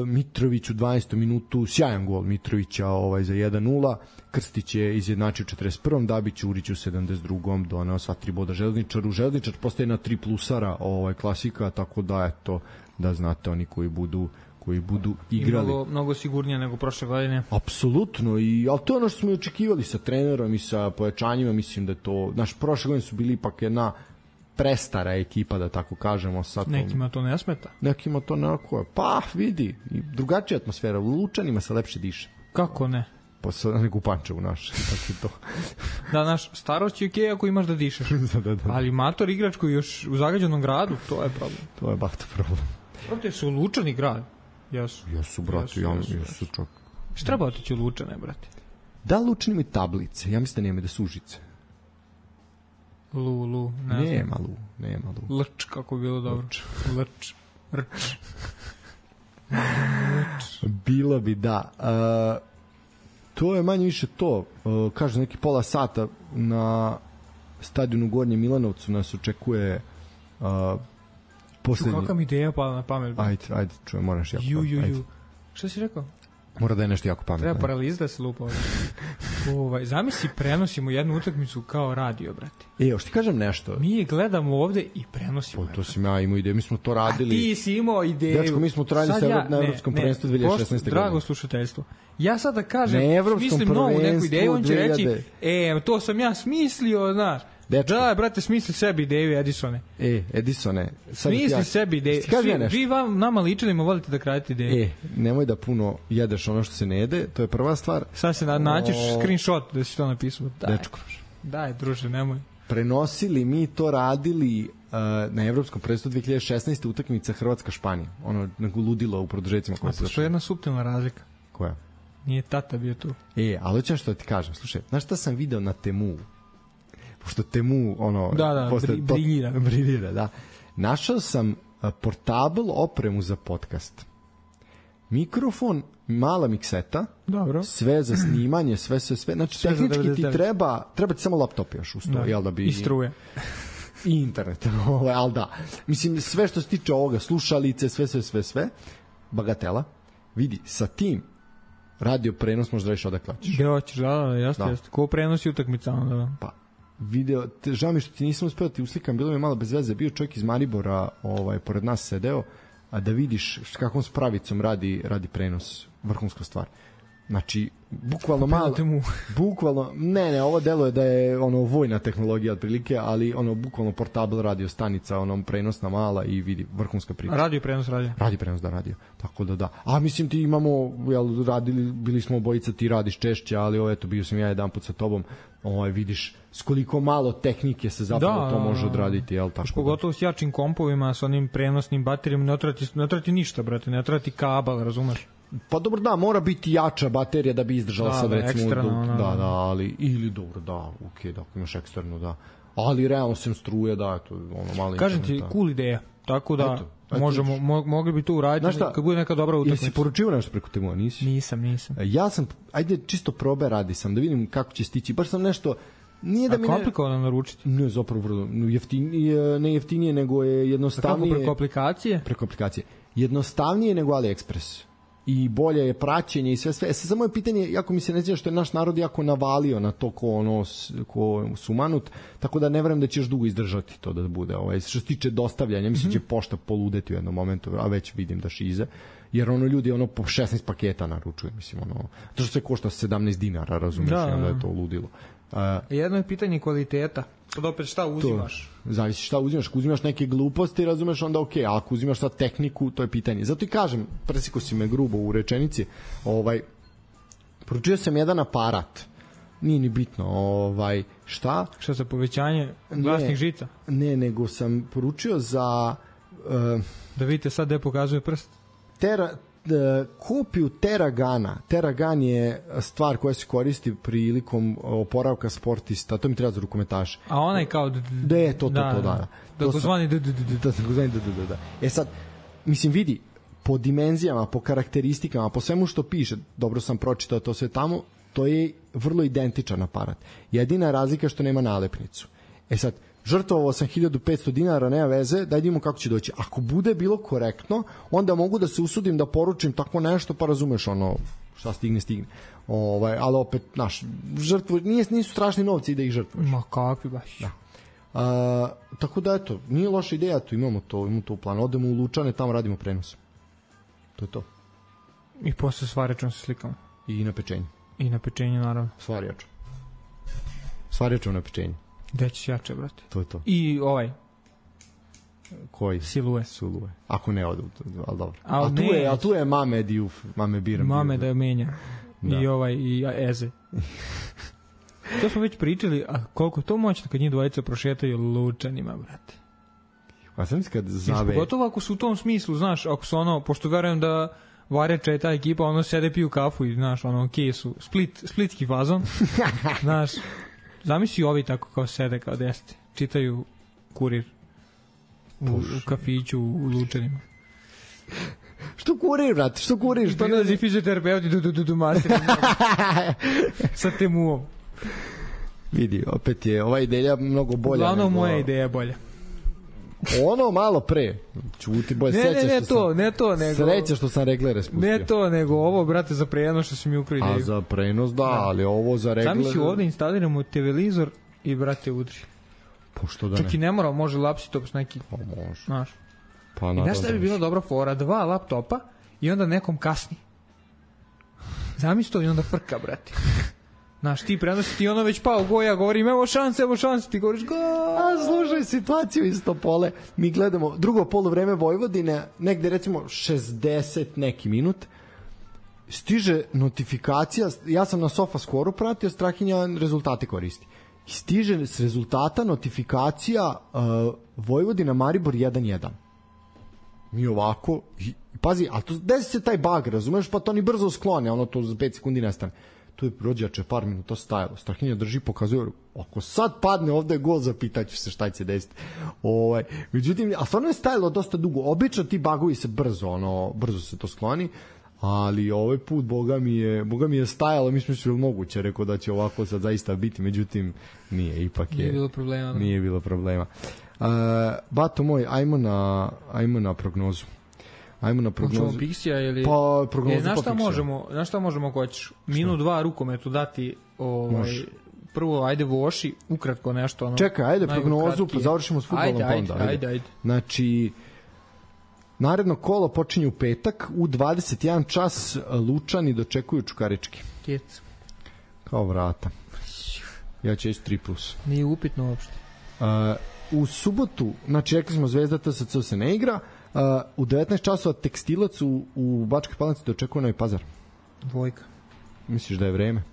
Mitrović u 12. minutu, sjajan gol Mitrovića za 1-0. Krstić je izjednačio 41. da bi Ćurić u 72. doneo sva 3 boda Železničaru. Železničar postaje na 3 plusara klasika, tako da eto, da znate, oni koji budu igrali. Mnogo sigurnije nego prošle godine. Apsolutno, ali to je ono što smo i očekivali sa trenerom i sa pojačanjima. Mislim da je to, prošle godine su bili ipak jedna prestara ekipa, da tako kažemo. Nekima to ne smeta. Nekima to nekako, pa vidi, drugačija atmosfera, u Lučanima se lepše diše. Kako ne? nego u Pančevu naš. Tako to. Da, naš starost je okej ako imaš da dišeš. da. Ali mator igrač koji još u zagađenom gradu, to je problem. To je bahta problem. Brate, su Lučani grad. Jesu, brate, jesu čak. Šta treba otići u Lučane, brate? Da, Lučani imaju tablice. Ja mislim da nema da su Užice. Nema Lu. Lč, kako je bilo dobro. Lč. Bilo bi, da. To je manje više to. Kaže, neki pola sata na stadionu u Gornjem Milanovcu nas očekuje poslednji... Kakva mi ideja pala na pamet. Ajde, čujem, moraš jako pamet. Šta si rekao? Mora da je nešto jako pametno. Treba paraliz da se lupa. Zamisli, prenosimo jednu utakmicu kao radio, brate. Još ti kažem nešto. Mi je gledamo ovde i prenosimo. To sam ja imao ideju, mi smo to radili. A ti si imao ideju. Dečko, mi smo to radili na Evropskom prvenstvu 2016. godine. Drago slušateljstvo. Ja sad da kažem, smislim novu neku ideju, on će reći, to sam ja smislio, znaš. Dečko. Da, brate, smisli sebi ideju, Edisone. Edisone. Smisli sebi ideju. Vi nama ličanima volite da kradete ideje. Nemoj da puno jedeš ono što se ne jede, to je prva stvar. Sad se naćeš screenshot da si to napisao. Dečko. Daj, druže, nemoj. Prenosili mi to radili na Evropskom prvenstvu 2016. utakmica Hrvatska-Španija. Ono ludilo u produžecima. A to je jedna suptilna razlika. Koja? Nije tata bio tu. Ali hoćem što ti kažem. Slušaj, znaš šta sam video na Temu? Pošto Temu, briljira, da. Našao sam portable opremu za podcast. Mikrofon, mala mikseta, dobro. Sve za snimanje, sve. Znači, tehnički ti treba ti samo laptop još uz to, jel da bi... I struje. I internet, ali da. Mislim, sve što se tiče ovoga, slušalice, sve, bagatela. Vidi, sa tim radio prenos možda reći odakle hoćeš. Gde hoćeš, jasno. Ko prenosi utakmica? Pa, video, žao mi što ti nisam uspeo ti uslikam, bilo mi malo bez veze, bio čovjek iz Maribora, pored nas sedeo, a da vidiš s kakvom spravicom radi prenos, vrhunska stvar. Znači, bukvalno malo, bukvalno, ne, ovo deluje da je vojna tehnologija otprilike, ali bukvalno portable radio stanica, prenosna mala i vidi, vrhunska priča. Radio prenos. Tako da. A mislim ti imamo, bili smo obojica, ti radiš češće, ali bio sam ja jedan put sa tobom, vidiš s koliko malo tehnike se zapravo to može odraditi, jel tako? Pogotovo s jačim kompovima, sa onim prenosnim baterijama, ne trati ništa, brate, ne trati kabel, razumeš? Pa dobro, da, mora biti jača baterija da bi izdržala sad recimo eksterno, ali ili dobro, da, okej, da imaš eksterno, da. Ali realno sem struje, da, to malo. Kažem ti, cool ideja. Tako da mogli bi to uraditi kad bude neka dobra utakmica. Jesi poručio nešto preko Temu, nisi? Nisam. Ja sam, ajde čisto probe radi sam da vidim kako će stići. Baš sam nešto nije da mi komplikovano naručiti. Ne, zapravo vrlo ne jeftinije, nego je jednostavnije. Kako preko aplikacije? Jednostavnije nego AliExpress. I bolje je praćenje i sve. Samo je pitanje, jako mi se ne zna što je naš narod jako navalio na to ko sumanut, tako da ne verujem da će još dugo izdržati to da bude. Što se tiče dostavljanja, mislim će pošta poludeti u jednom momentu, a već vidim da šize, jer ljudi po 16 paketa naručuju, mislim, to što se košta 17 dinara, razumiješ, onda je to ludilo. Jedno je pitanje kvaliteta. Sad opet šta uzimaš? Zavisi šta uzimaš. Ako uzimaš neke gluposti, razumeš, onda okej. A ako uzimaš šta tehniku, to je pitanje. Zato i kažem, presiko si me grubo u rečenici, poručio sam jedan aparat. Nije ni bitno. Šta? Šta za povećanje glasnih žica? Ne, nego sam poručio za... Da vidite sad gde pokazuje prst. Kopiju Teragana. Teragan je stvar koja se koristi prilikom oporavka sportista. To mi treba za rukometaše. A onaj kao... Da. Takozvani da. Sad, mislim, vidi, po dimenzijama, po karakteristikama, po svemu što piše, dobro sam pročitao to sve tamo, to je vrlo identičan aparat. Jedina razlika što nema nalepnicu. Sad, žrtvovao sam 1500 dinara, nema veze, da vidimo kako će doći. Ako bude bilo korektno, onda mogu da se usudim da poručim tako nešto, pa razumeš šta stigne. Ali opet, žrtvo, nisu strašni novci da ih žrtvuješ. Ma kakvi baš. Da. Tako da, eto, nije loša ideja, tu imamo to u planu. Odemo u Lučane, tamo radimo prenos. To je to. I posle svarjačom se slikamo. I na pečenju. I na pečenju, naravno. Svarjačom na pečenju. Gde ćeš jače, brate? To je to. I koji? Silue. Ako ne odu, ali dobro. A tu je Mame Diouf, Mame Biram. Mame da je menja. i Eze. To smo već pričali, a koliko to moćno kad njih dvojica prošetaju lučanima, brate. Pa sam kad zave... Pogotovo ako su u tom smislu, znaš, ako su ono, pošto verujem da Vareča je ta ekipa, ono sede piju kafu i, znaš, ono, okej su, splitski fazon, znaš, zamisli ovi tako kao sede, kao desete, čitaju Kurir u kafiću u lučanima. Što Kurir, brate, što Kurir? Što prilazi fizioterapeuti du master sa temuom. Vidi, opet je ova ideja mnogo bolja. Uglavnom moja ideja je bolja. Ono malo pre. Čuti bolje, ne to, nego sreća što sam reglere spustio. Ne to, nego ovo, brate, za prenos što si mi ukrao ideju. A za prenos, da, ali ovo za reglere... Sami si ovde instaliramo televizor i, brate, udri. Pošto da ne? Čak i ne mora, može laptop neki. Pa može. Znaš. Pa i znaš šta bi bila dobra fora? 2 laptopa i onda nekom kasni. Zamisli to i onda frka, brate. Znaš, ti prenosi, ti ono već pao go, ja govorim, evo šanse, ti govoriš go. A slušaj situaciju isto pole. Mi gledamo drugo poluvreme Vojvodine, negde recimo 60 neki minut. Stiže notifikacija, ja sam na SofaScore-u pratio, Strahinja rezultate koristi. Stiže s rezultata notifikacija Vojvodina Maribor 1-1. Mi ovako, pazi, a to desi se taj bug, razumeš, pa to ni brzo sklone, ono to za 5 sekundi nestane. Tu je rođače par minuta stajalo. Strahinja drži, pokazuje, ako sad padne ovde je gol, zapitaću se šta će desiti. Međutim, a stvarno je stajalo dosta dugo. Obično ti bugovi se brzo se to skloni, ali ovaj put, boga mi je stajalo, mi smo se moguće, rekao da će ovako sad zaista biti, međutim, nije, ipak je. Nije bilo problema. Bato moj, ajmo na prognozu. Hoćemo Pixija ili... Pa, prognozu Znaš šta možemo ako hoćeš? Minut 2 rukometu dati prvo, ajde Voši, ukratko nešto. Čekaj, ajde prognozu, pa završimo s futbolom. Ajde. Znači, naredno kolo počinje u petak, u 21 čas Lučani dočekuju Čukarički. Kjec. Kao vrata. Ja ću ići 3+. Nije upitno uopšte. U subotu, znači rekli smo Zvezda TSC se ne igra, u 19 časova Tekstilac u Bačkoj Palanci dočekuje Novi Pazar. 2. Misliš da je vreme?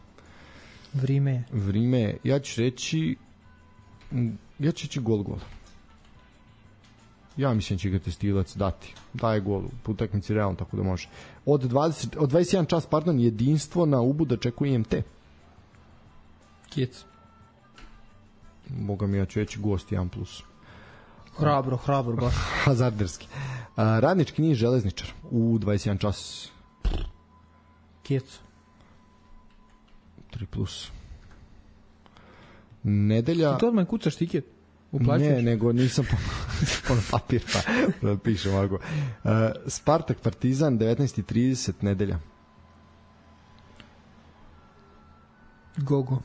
Vrime je. Ja ću reći gol. Ja mislim će ga Tekstilac dati. Daje gol u utakmici realno, tako da može. Od 21 čas, jedinstvo na Ubu dočekuje IMT. Kjec. Boga mi, ja ću reći gost 1+. Hrabro baš. Hazarderski. Radnički Niš Železničar u 21 čas. Kjec. 3+. Nedelja... Ti to odmah kucaš tiket? Uplaćuješ? Ne, nego nisam ono papir pa pišem ovako. Spartak Partizan 19:30 nedelja. Gogo.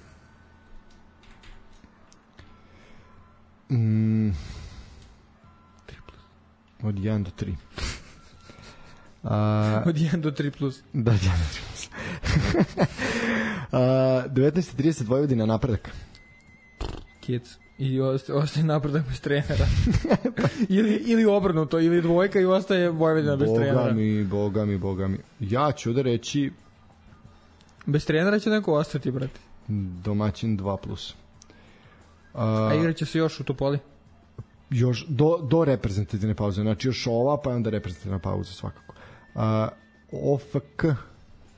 Od 1 do 3. Od 1 do 3+. Da, 1 do 3+. 19:30 Vojvodina Napredak. Kjec. I ostaje Napredak bez trenera. ili obrnuto, ili 2 i ostaje Vojvodina bez trenera. Boga mi. Ja ću da reći... Bez trenera će neko ostati, brate. Domaćin 2+. A igraće se još u Topoli? Još do reprezentativne pauze, znači još ova pa onda reprezentativna pauza svakako. OFK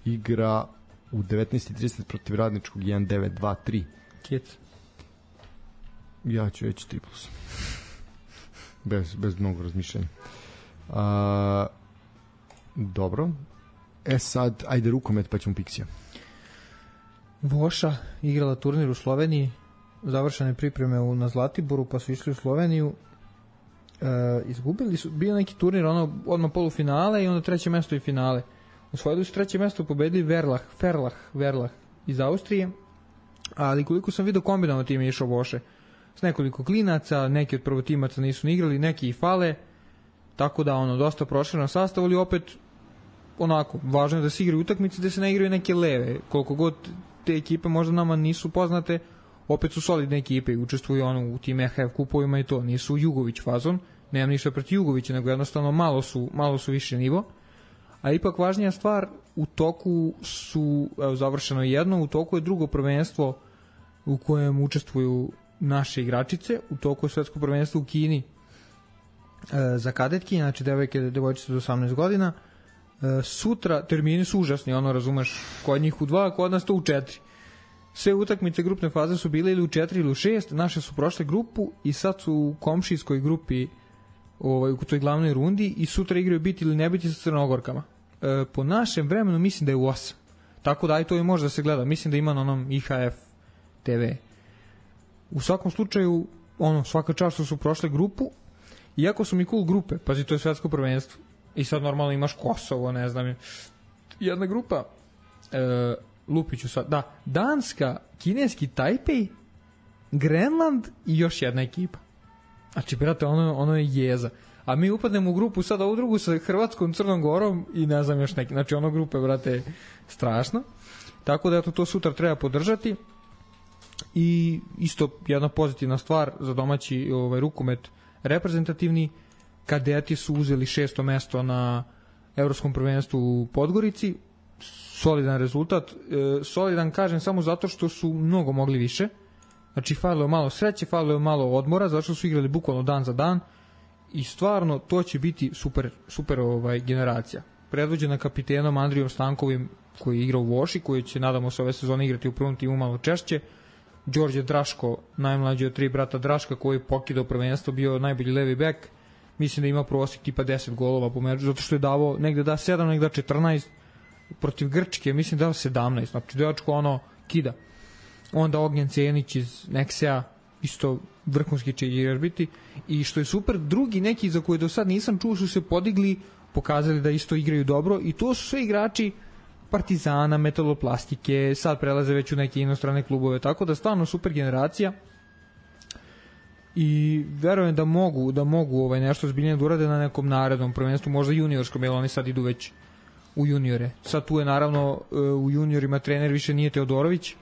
igra u 19:30 protiv Radničkog 1-9-2-3. Kjec. Ja ću reći 3+. Bez mnogo razmišljanja. Dobro. Sad, ajde rukomet pa ćemo Pixija. Voša igrala turnir u Sloveniji, završene pripreme na Zlatiboru, pa su išli u Sloveniju. Izgubili su, bio neki turnir, odmah polufinale i onda 3. mesto i finale. Osvojili su 3. mesto, pobedili Verlah iz Austrije, ali koliko sam vidio kombinovano tim je išao Voše. S nekoliko klinaca, neki od prvotimaca nisu ni igrali, neki i fale, tako da dosta proširen sastav, ali opet onako, važno je da se igraju utakmice, da se ne igraju neke leve. Koliko god te ekipe možda nama nisu poznate, opet su solidne ekipe i učestvuju u tim EHF kupovima i to. Nisu Jugović fazon, nemam ništa protiv Jugovića, nego jednostavno malo su više nivo, A ipak važnija stvar, u toku su, završeno jedno, u toku je drugo prvenstvo u kojem učestvuju naše igračice, u toku je svetsko prvenstvo u Kini za kadetki, znači devojčice do 18 godina. Sutra termini su užasni, razumeš, kod njih u 2, kod nas to u 4. Sve utakmice grupne faze su bile ili u 4 ili u 6, naše su prošle grupu i sad su u komšijskoj grupi u toj glavnoj rundi i sutra igraju biti ili ne biti sa Crnogorkama. Po našem vremenu mislim da je u 8. Tako da aj to i može da se gleda. Mislim da ima na onom IHF TV. U svakom slučaju, svaka čast što su prošle grupu, iako su mi cool grupe, pazi, to je svetsko prvenstvo. I sad normalno imaš Kosovo, ne znam, jedna grupa, lupiću sad, da, Danska, kineski Tajpej, Grenland i još jedna ekipa. Znači, brate, ono je jeza. A mi upadnemo u grupu, sad ovu drugu sa Hrvatskom, Crnom Gorom i ne znam još neki. Znači, grupe, brate, strašno. Tako da, to sutra treba podržati. I isto jedna pozitivna stvar za domaći rukomet reprezentativni, kadeti su uzeli 6. mesto na evropskom prvenstvu u Podgorici. Solidan rezultat. Solidan kažem samo zato što su mnogo mogli više. Znači, falilo je malo sreće, falilo je malo odmora, zato što su igrali bukvalno dan za dan i stvarno to će biti super generacija. Predvođena kapitenom Andrijom Stankovim, koji je igrao u Voši, koji će, nadamo se, ove sezone igrati u prvom timu malo češće. Đorđe Draško, najmlađi od 3 brata Draška, koji je pokidao prvenstvo, bio najbolji levi bek. Mislim da ima prosjek tipa 10 golova po meču, zato što je davao negde da 7, negde da 14. Protiv Grčke, mislim da dao 17. Znači, dečko kida. Onda Ognjen Cenić iz Nexea, isto vrhunski će igrač biti. I što je super, drugi neki za koje do sad nisam čuo su se podigli, pokazali da isto igraju dobro i to su sve igrači Partizana, Metaloplastike, sad prelaze već u neke inostrane klubove, tako da stvarno super generacija i verujem da mogu nešto zbiljnije da urade na nekom narednom prvenstvu, možda juniorskom, jer oni sad idu već u juniore. Sad tu je naravno u juniorima trener više nije Teodorović,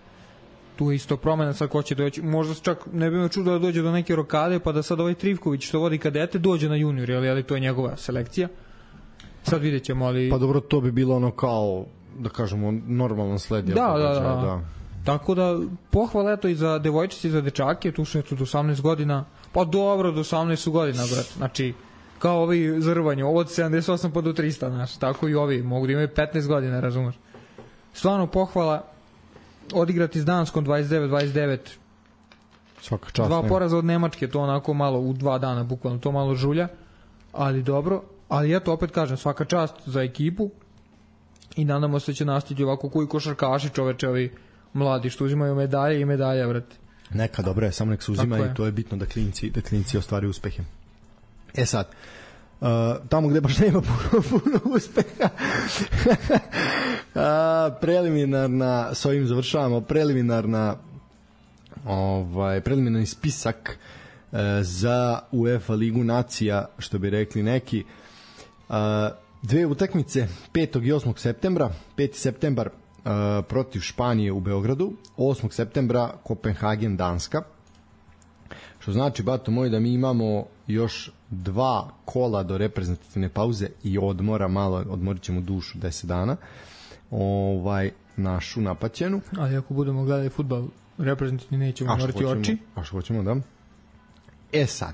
tu je isto promena, sad ko će doći, možda čak ne bi me čudo da dođe do neke rokade, pa da sad ovaj Trivković što vodi kadete dođe na junior, ali to je njegova selekcija. Sad vidjet ćemo, ali... Pa dobro, to bi bilo kao, da kažemo, normalan sled. Da. Tako da, pohvala eto i za devojčice i za dečake, tu su eto do 18 godina, pa dobro, do 18 su godina, brat. Znači, kao ovi za rvanje, ovo od 78 pa do 300, znaš, tako i ovi, mogu da imaju 15 godina, razumeš. Stvarno pohvala, odigrati s Danskom 29-29, svaka čast, 2 poraza od Nemačke, to onako malo u 2 dana, bukvalno to malo žulja, ali dobro, ali eto, opet kažem, svaka čast za ekipu i nadamo se će nastaviti ovako koji košarkaši, čoveče, ovi mladi što uzimaju medalje i medalje, vrati. Neka, dobro je, samo nek se uzima i to je bitno da klinci ostvari uspehe. Sad, tamo gde baš nema puno uspeha, preliminarna, s ovim završavamo, preliminarni spisak za UEFA Ligu nacija, što bi rekli neki. 2 utakmice 5. i 8. septembra. 5. septembar protiv Španije u Beogradu, 8. septembra Kopenhagen, Danska. Što znači, bato moj, da mi imamo još 2 kola do reprezentativne pauze i odmora, malo odmorit ćemo dušu 10 dana, našu napaćenu. Ali ako budemo gledali fudbal reprezentativni, nećemo morati oči. A što hoćemo, da. Sad,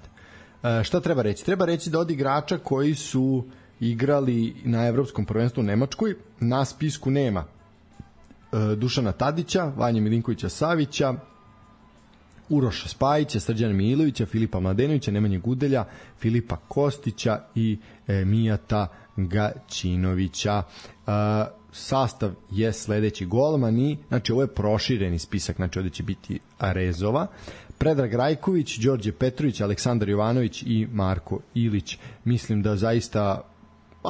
šta treba reći? Treba reći da od igrača koji su igrali na evropskom prvenstvu u Nemačkoj, na spisku nema Dušana Tadića, Vanje Milinkovića Savića, Uroša Spajića, Srđana Milovića, Filipa Mladenovića, Nemanje Gudelja, Filipa Kostića i Mijata Gaćinovića. Sastav je sledeći: golmani, znači ovo je prošireni spisak, znači ovde će biti Rezova, Predrag Rajković, Đorđe Petrović, Aleksandar Jovanović i Marko Ilić. Mislim da zaista,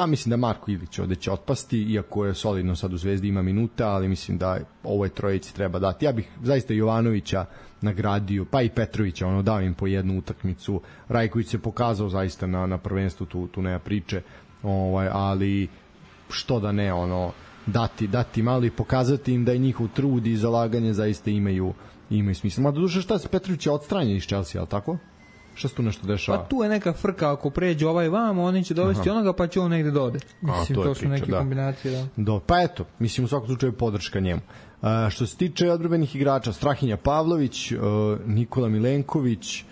mislim da Marko Ilić ovde će otpasti, iako je solidno sad u Zvezdi, ima minuta, ali mislim da ovoj trojici treba dati. Ja bih zaista Jovanovića nagradio, pa i Petrovića, dao im po jednu utakmicu. Rajković se pokazao zaista na prvenstvu, tu nema priče, ali što da ne, dati malo i pokazati im da je njihov trud i zalaganje zaista imaju smisla. Ma doduše, šta se, Petrović je odstranjen iz Chelsea, ali tako? Šta se tu nešto dešava? Pa tu je neka frka, ako pređe ovaj vamo, oni će dovesti onoga, pa će on negde dode. Mislim, to su neke kombinacije, da. Pa eto, mislim, u svakom slučaju podrška njemu. Što se tiče odbrambenih igrača, Strahinja Pavlović, Nikola Milenković,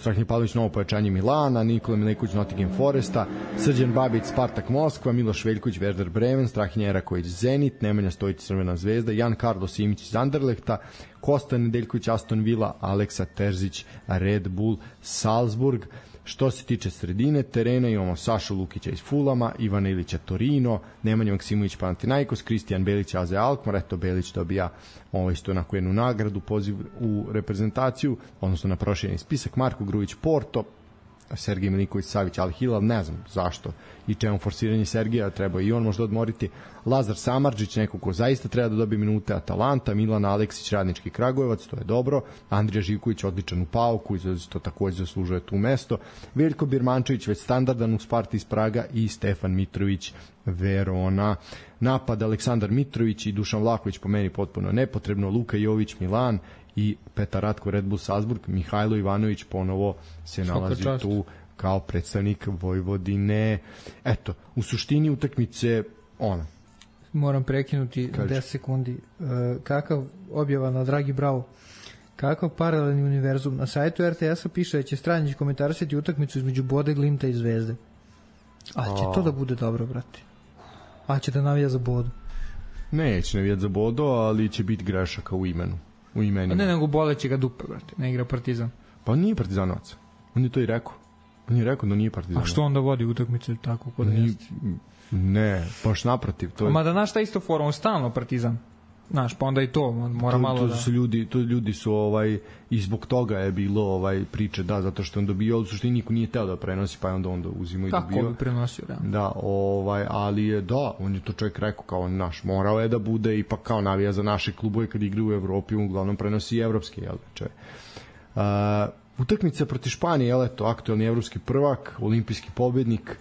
Strahinja Pavlović novo pojačanje Milana, Nikola Milenković Nottingham Foresta, Srđan Babić Spartak Moskva, Miloš Veljković Werder Bremen, Strahinja Eraković Zenit, Nemanja Stojić Crvena zvezda, Jan Karlo Simić iz Anderlehta, Kosta Nedeljković Aston Villa, Aleksa Terzić Red Bull Salzburg. Što se tiče sredine terena, imamo Sašu Lukića iz Fulama, Ivana Ilića Torino, Nemanja Maksimović Panathinaikos, Kristijan Belić AZ Alkmaar. Eto, Belić dobija isto onako jednu nagradu, poziv u reprezentaciju, odnosno na prošireni spisak. Marko Grujić Porto, Sergej Milinković Savić Al Hilal, ne znam zašto i čemu forsiranje Sergeja, treba i on možda odmoriti. Lazar Samardžić, neko ko zaista treba da dobije minute, Atalanta, Milan Aleksić Radnički Kragujevac, to je dobro, Andrija Živković odličan u Pauku, to takođe zaslužuje tu mesto, Veljko Birmančević već standardan u Sparti iz Praga i Stefan Mitrović Verona. Napad Aleksandar Mitrović i Dušan Vlaković po meni potpuno nepotrebno, Luka Jović Milan i Petar Ratko Red Bull Salzburg. Mihajlo Ivanović ponovo se nalazi tu kao predstavnik Vojvodine. Eto, u suštini utakmice moram prekinuti 10 sekundi. Kakav objava na Dragi Bravo, kakav paralelni univerzum. Na sajtu RTS-a piše da će Stranjić komentarisati utakmicu između Bode, Glimta i Zvezde. A će to da bude dobro, brate? A će da navija za Bodu? Neće navijati za Bodu, ali će biti grešaka u imenu. U imenima. Ne, nego boleće ga dupe, brate. Ne igra Partizan. Pa nije Partizanovac. On je to i rekao. On je rekao da nije Partizanovac. A što onda vodi utakmice tako kod jeste? Ne, baš naprotiv. To je... Ma da naš ta isto forum, stalno Partizan. Znaš, pa onda i to mora malo da... Ljudi su i zbog toga je bilo priče, da, zato što on dobio, u suštini niko nije teo da prenosi, pa je onda uzimo i dobio. Kako bi prenosio, da. Da, ali je, da, on je to čovjek rekao kao naš, morao je da bude ipak kao navija za naše klubove kad igra u Evropi, uglavnom prenosi i evropski, jel, čovjek. Utakmica protiv Španije, jel, eto, aktuelni evropski prvak, olimpijski pobednik,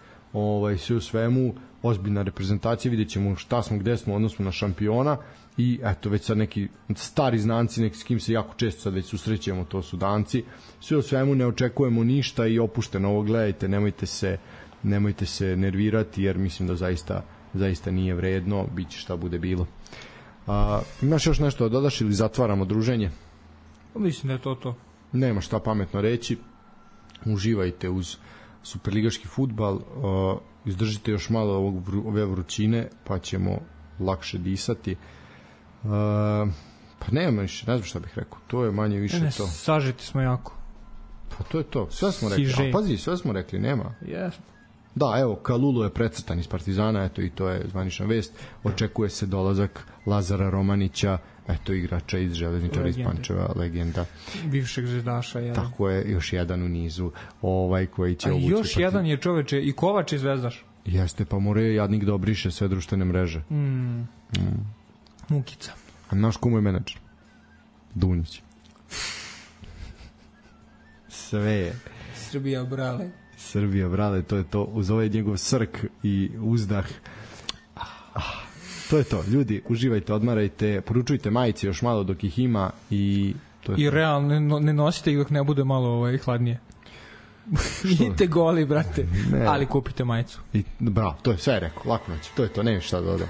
sve u svemu, ozbiljna reprezentacija, vidjet ćemo šta smo, gde smo, odnosno na šampiona. I eto, već sad neki stari znanci, neki s kim se jako često sad već susrećemo, to su Danci. Sve u svemu ne očekujemo ništa i opušteno ovo gledajte, nemojte se nervirati, jer mislim da zaista nije vredno, bit će šta bude bilo. Imaš još nešto da dodaš ili zatvaramo druženje? Mislim da je to. Nema šta pametno reći. Uživajte uz superligaški fudbal, izdržite još malo ove vrućine, pa ćemo lakše disati. Pa nema više, ne znam šta bih rekao, to je manje više to. Sažeti smo jako. Pa to je to, sve smo rekli. Pazi, sve smo rekli, nema. Jesmo. Da, evo, Kalulu je precrtan iz Partizana, eto i to je zvanična vest. Očekuje se dolazak Lazara Romanića, eto igrača iz Železničara iz Pančeva, legenda. Bivšeg zvezdaša, jedan. Tako je, još jedan u nizu, koji će obući. A još jedan je čoveče i Kovač i zvezdaš. Jeste, pa mora je jadnik da obriše sve društvene mreže. Mukica. A naš komu je menadžer? Dunić. Sve je. Srbija, brale, to je to. Uz ovaj njegov srk i uzdah. To je to. Ljudi, uživajte, odmarajte, poručujte majice još malo dok ih ima i to je I to. realno ne nosite ih dok ne bude malo hladnije. Idite goli, brate. Ne. Ali kupite majicu. Bravo, to je sve rekao. Lako noć. To je to, nema šta da dodam.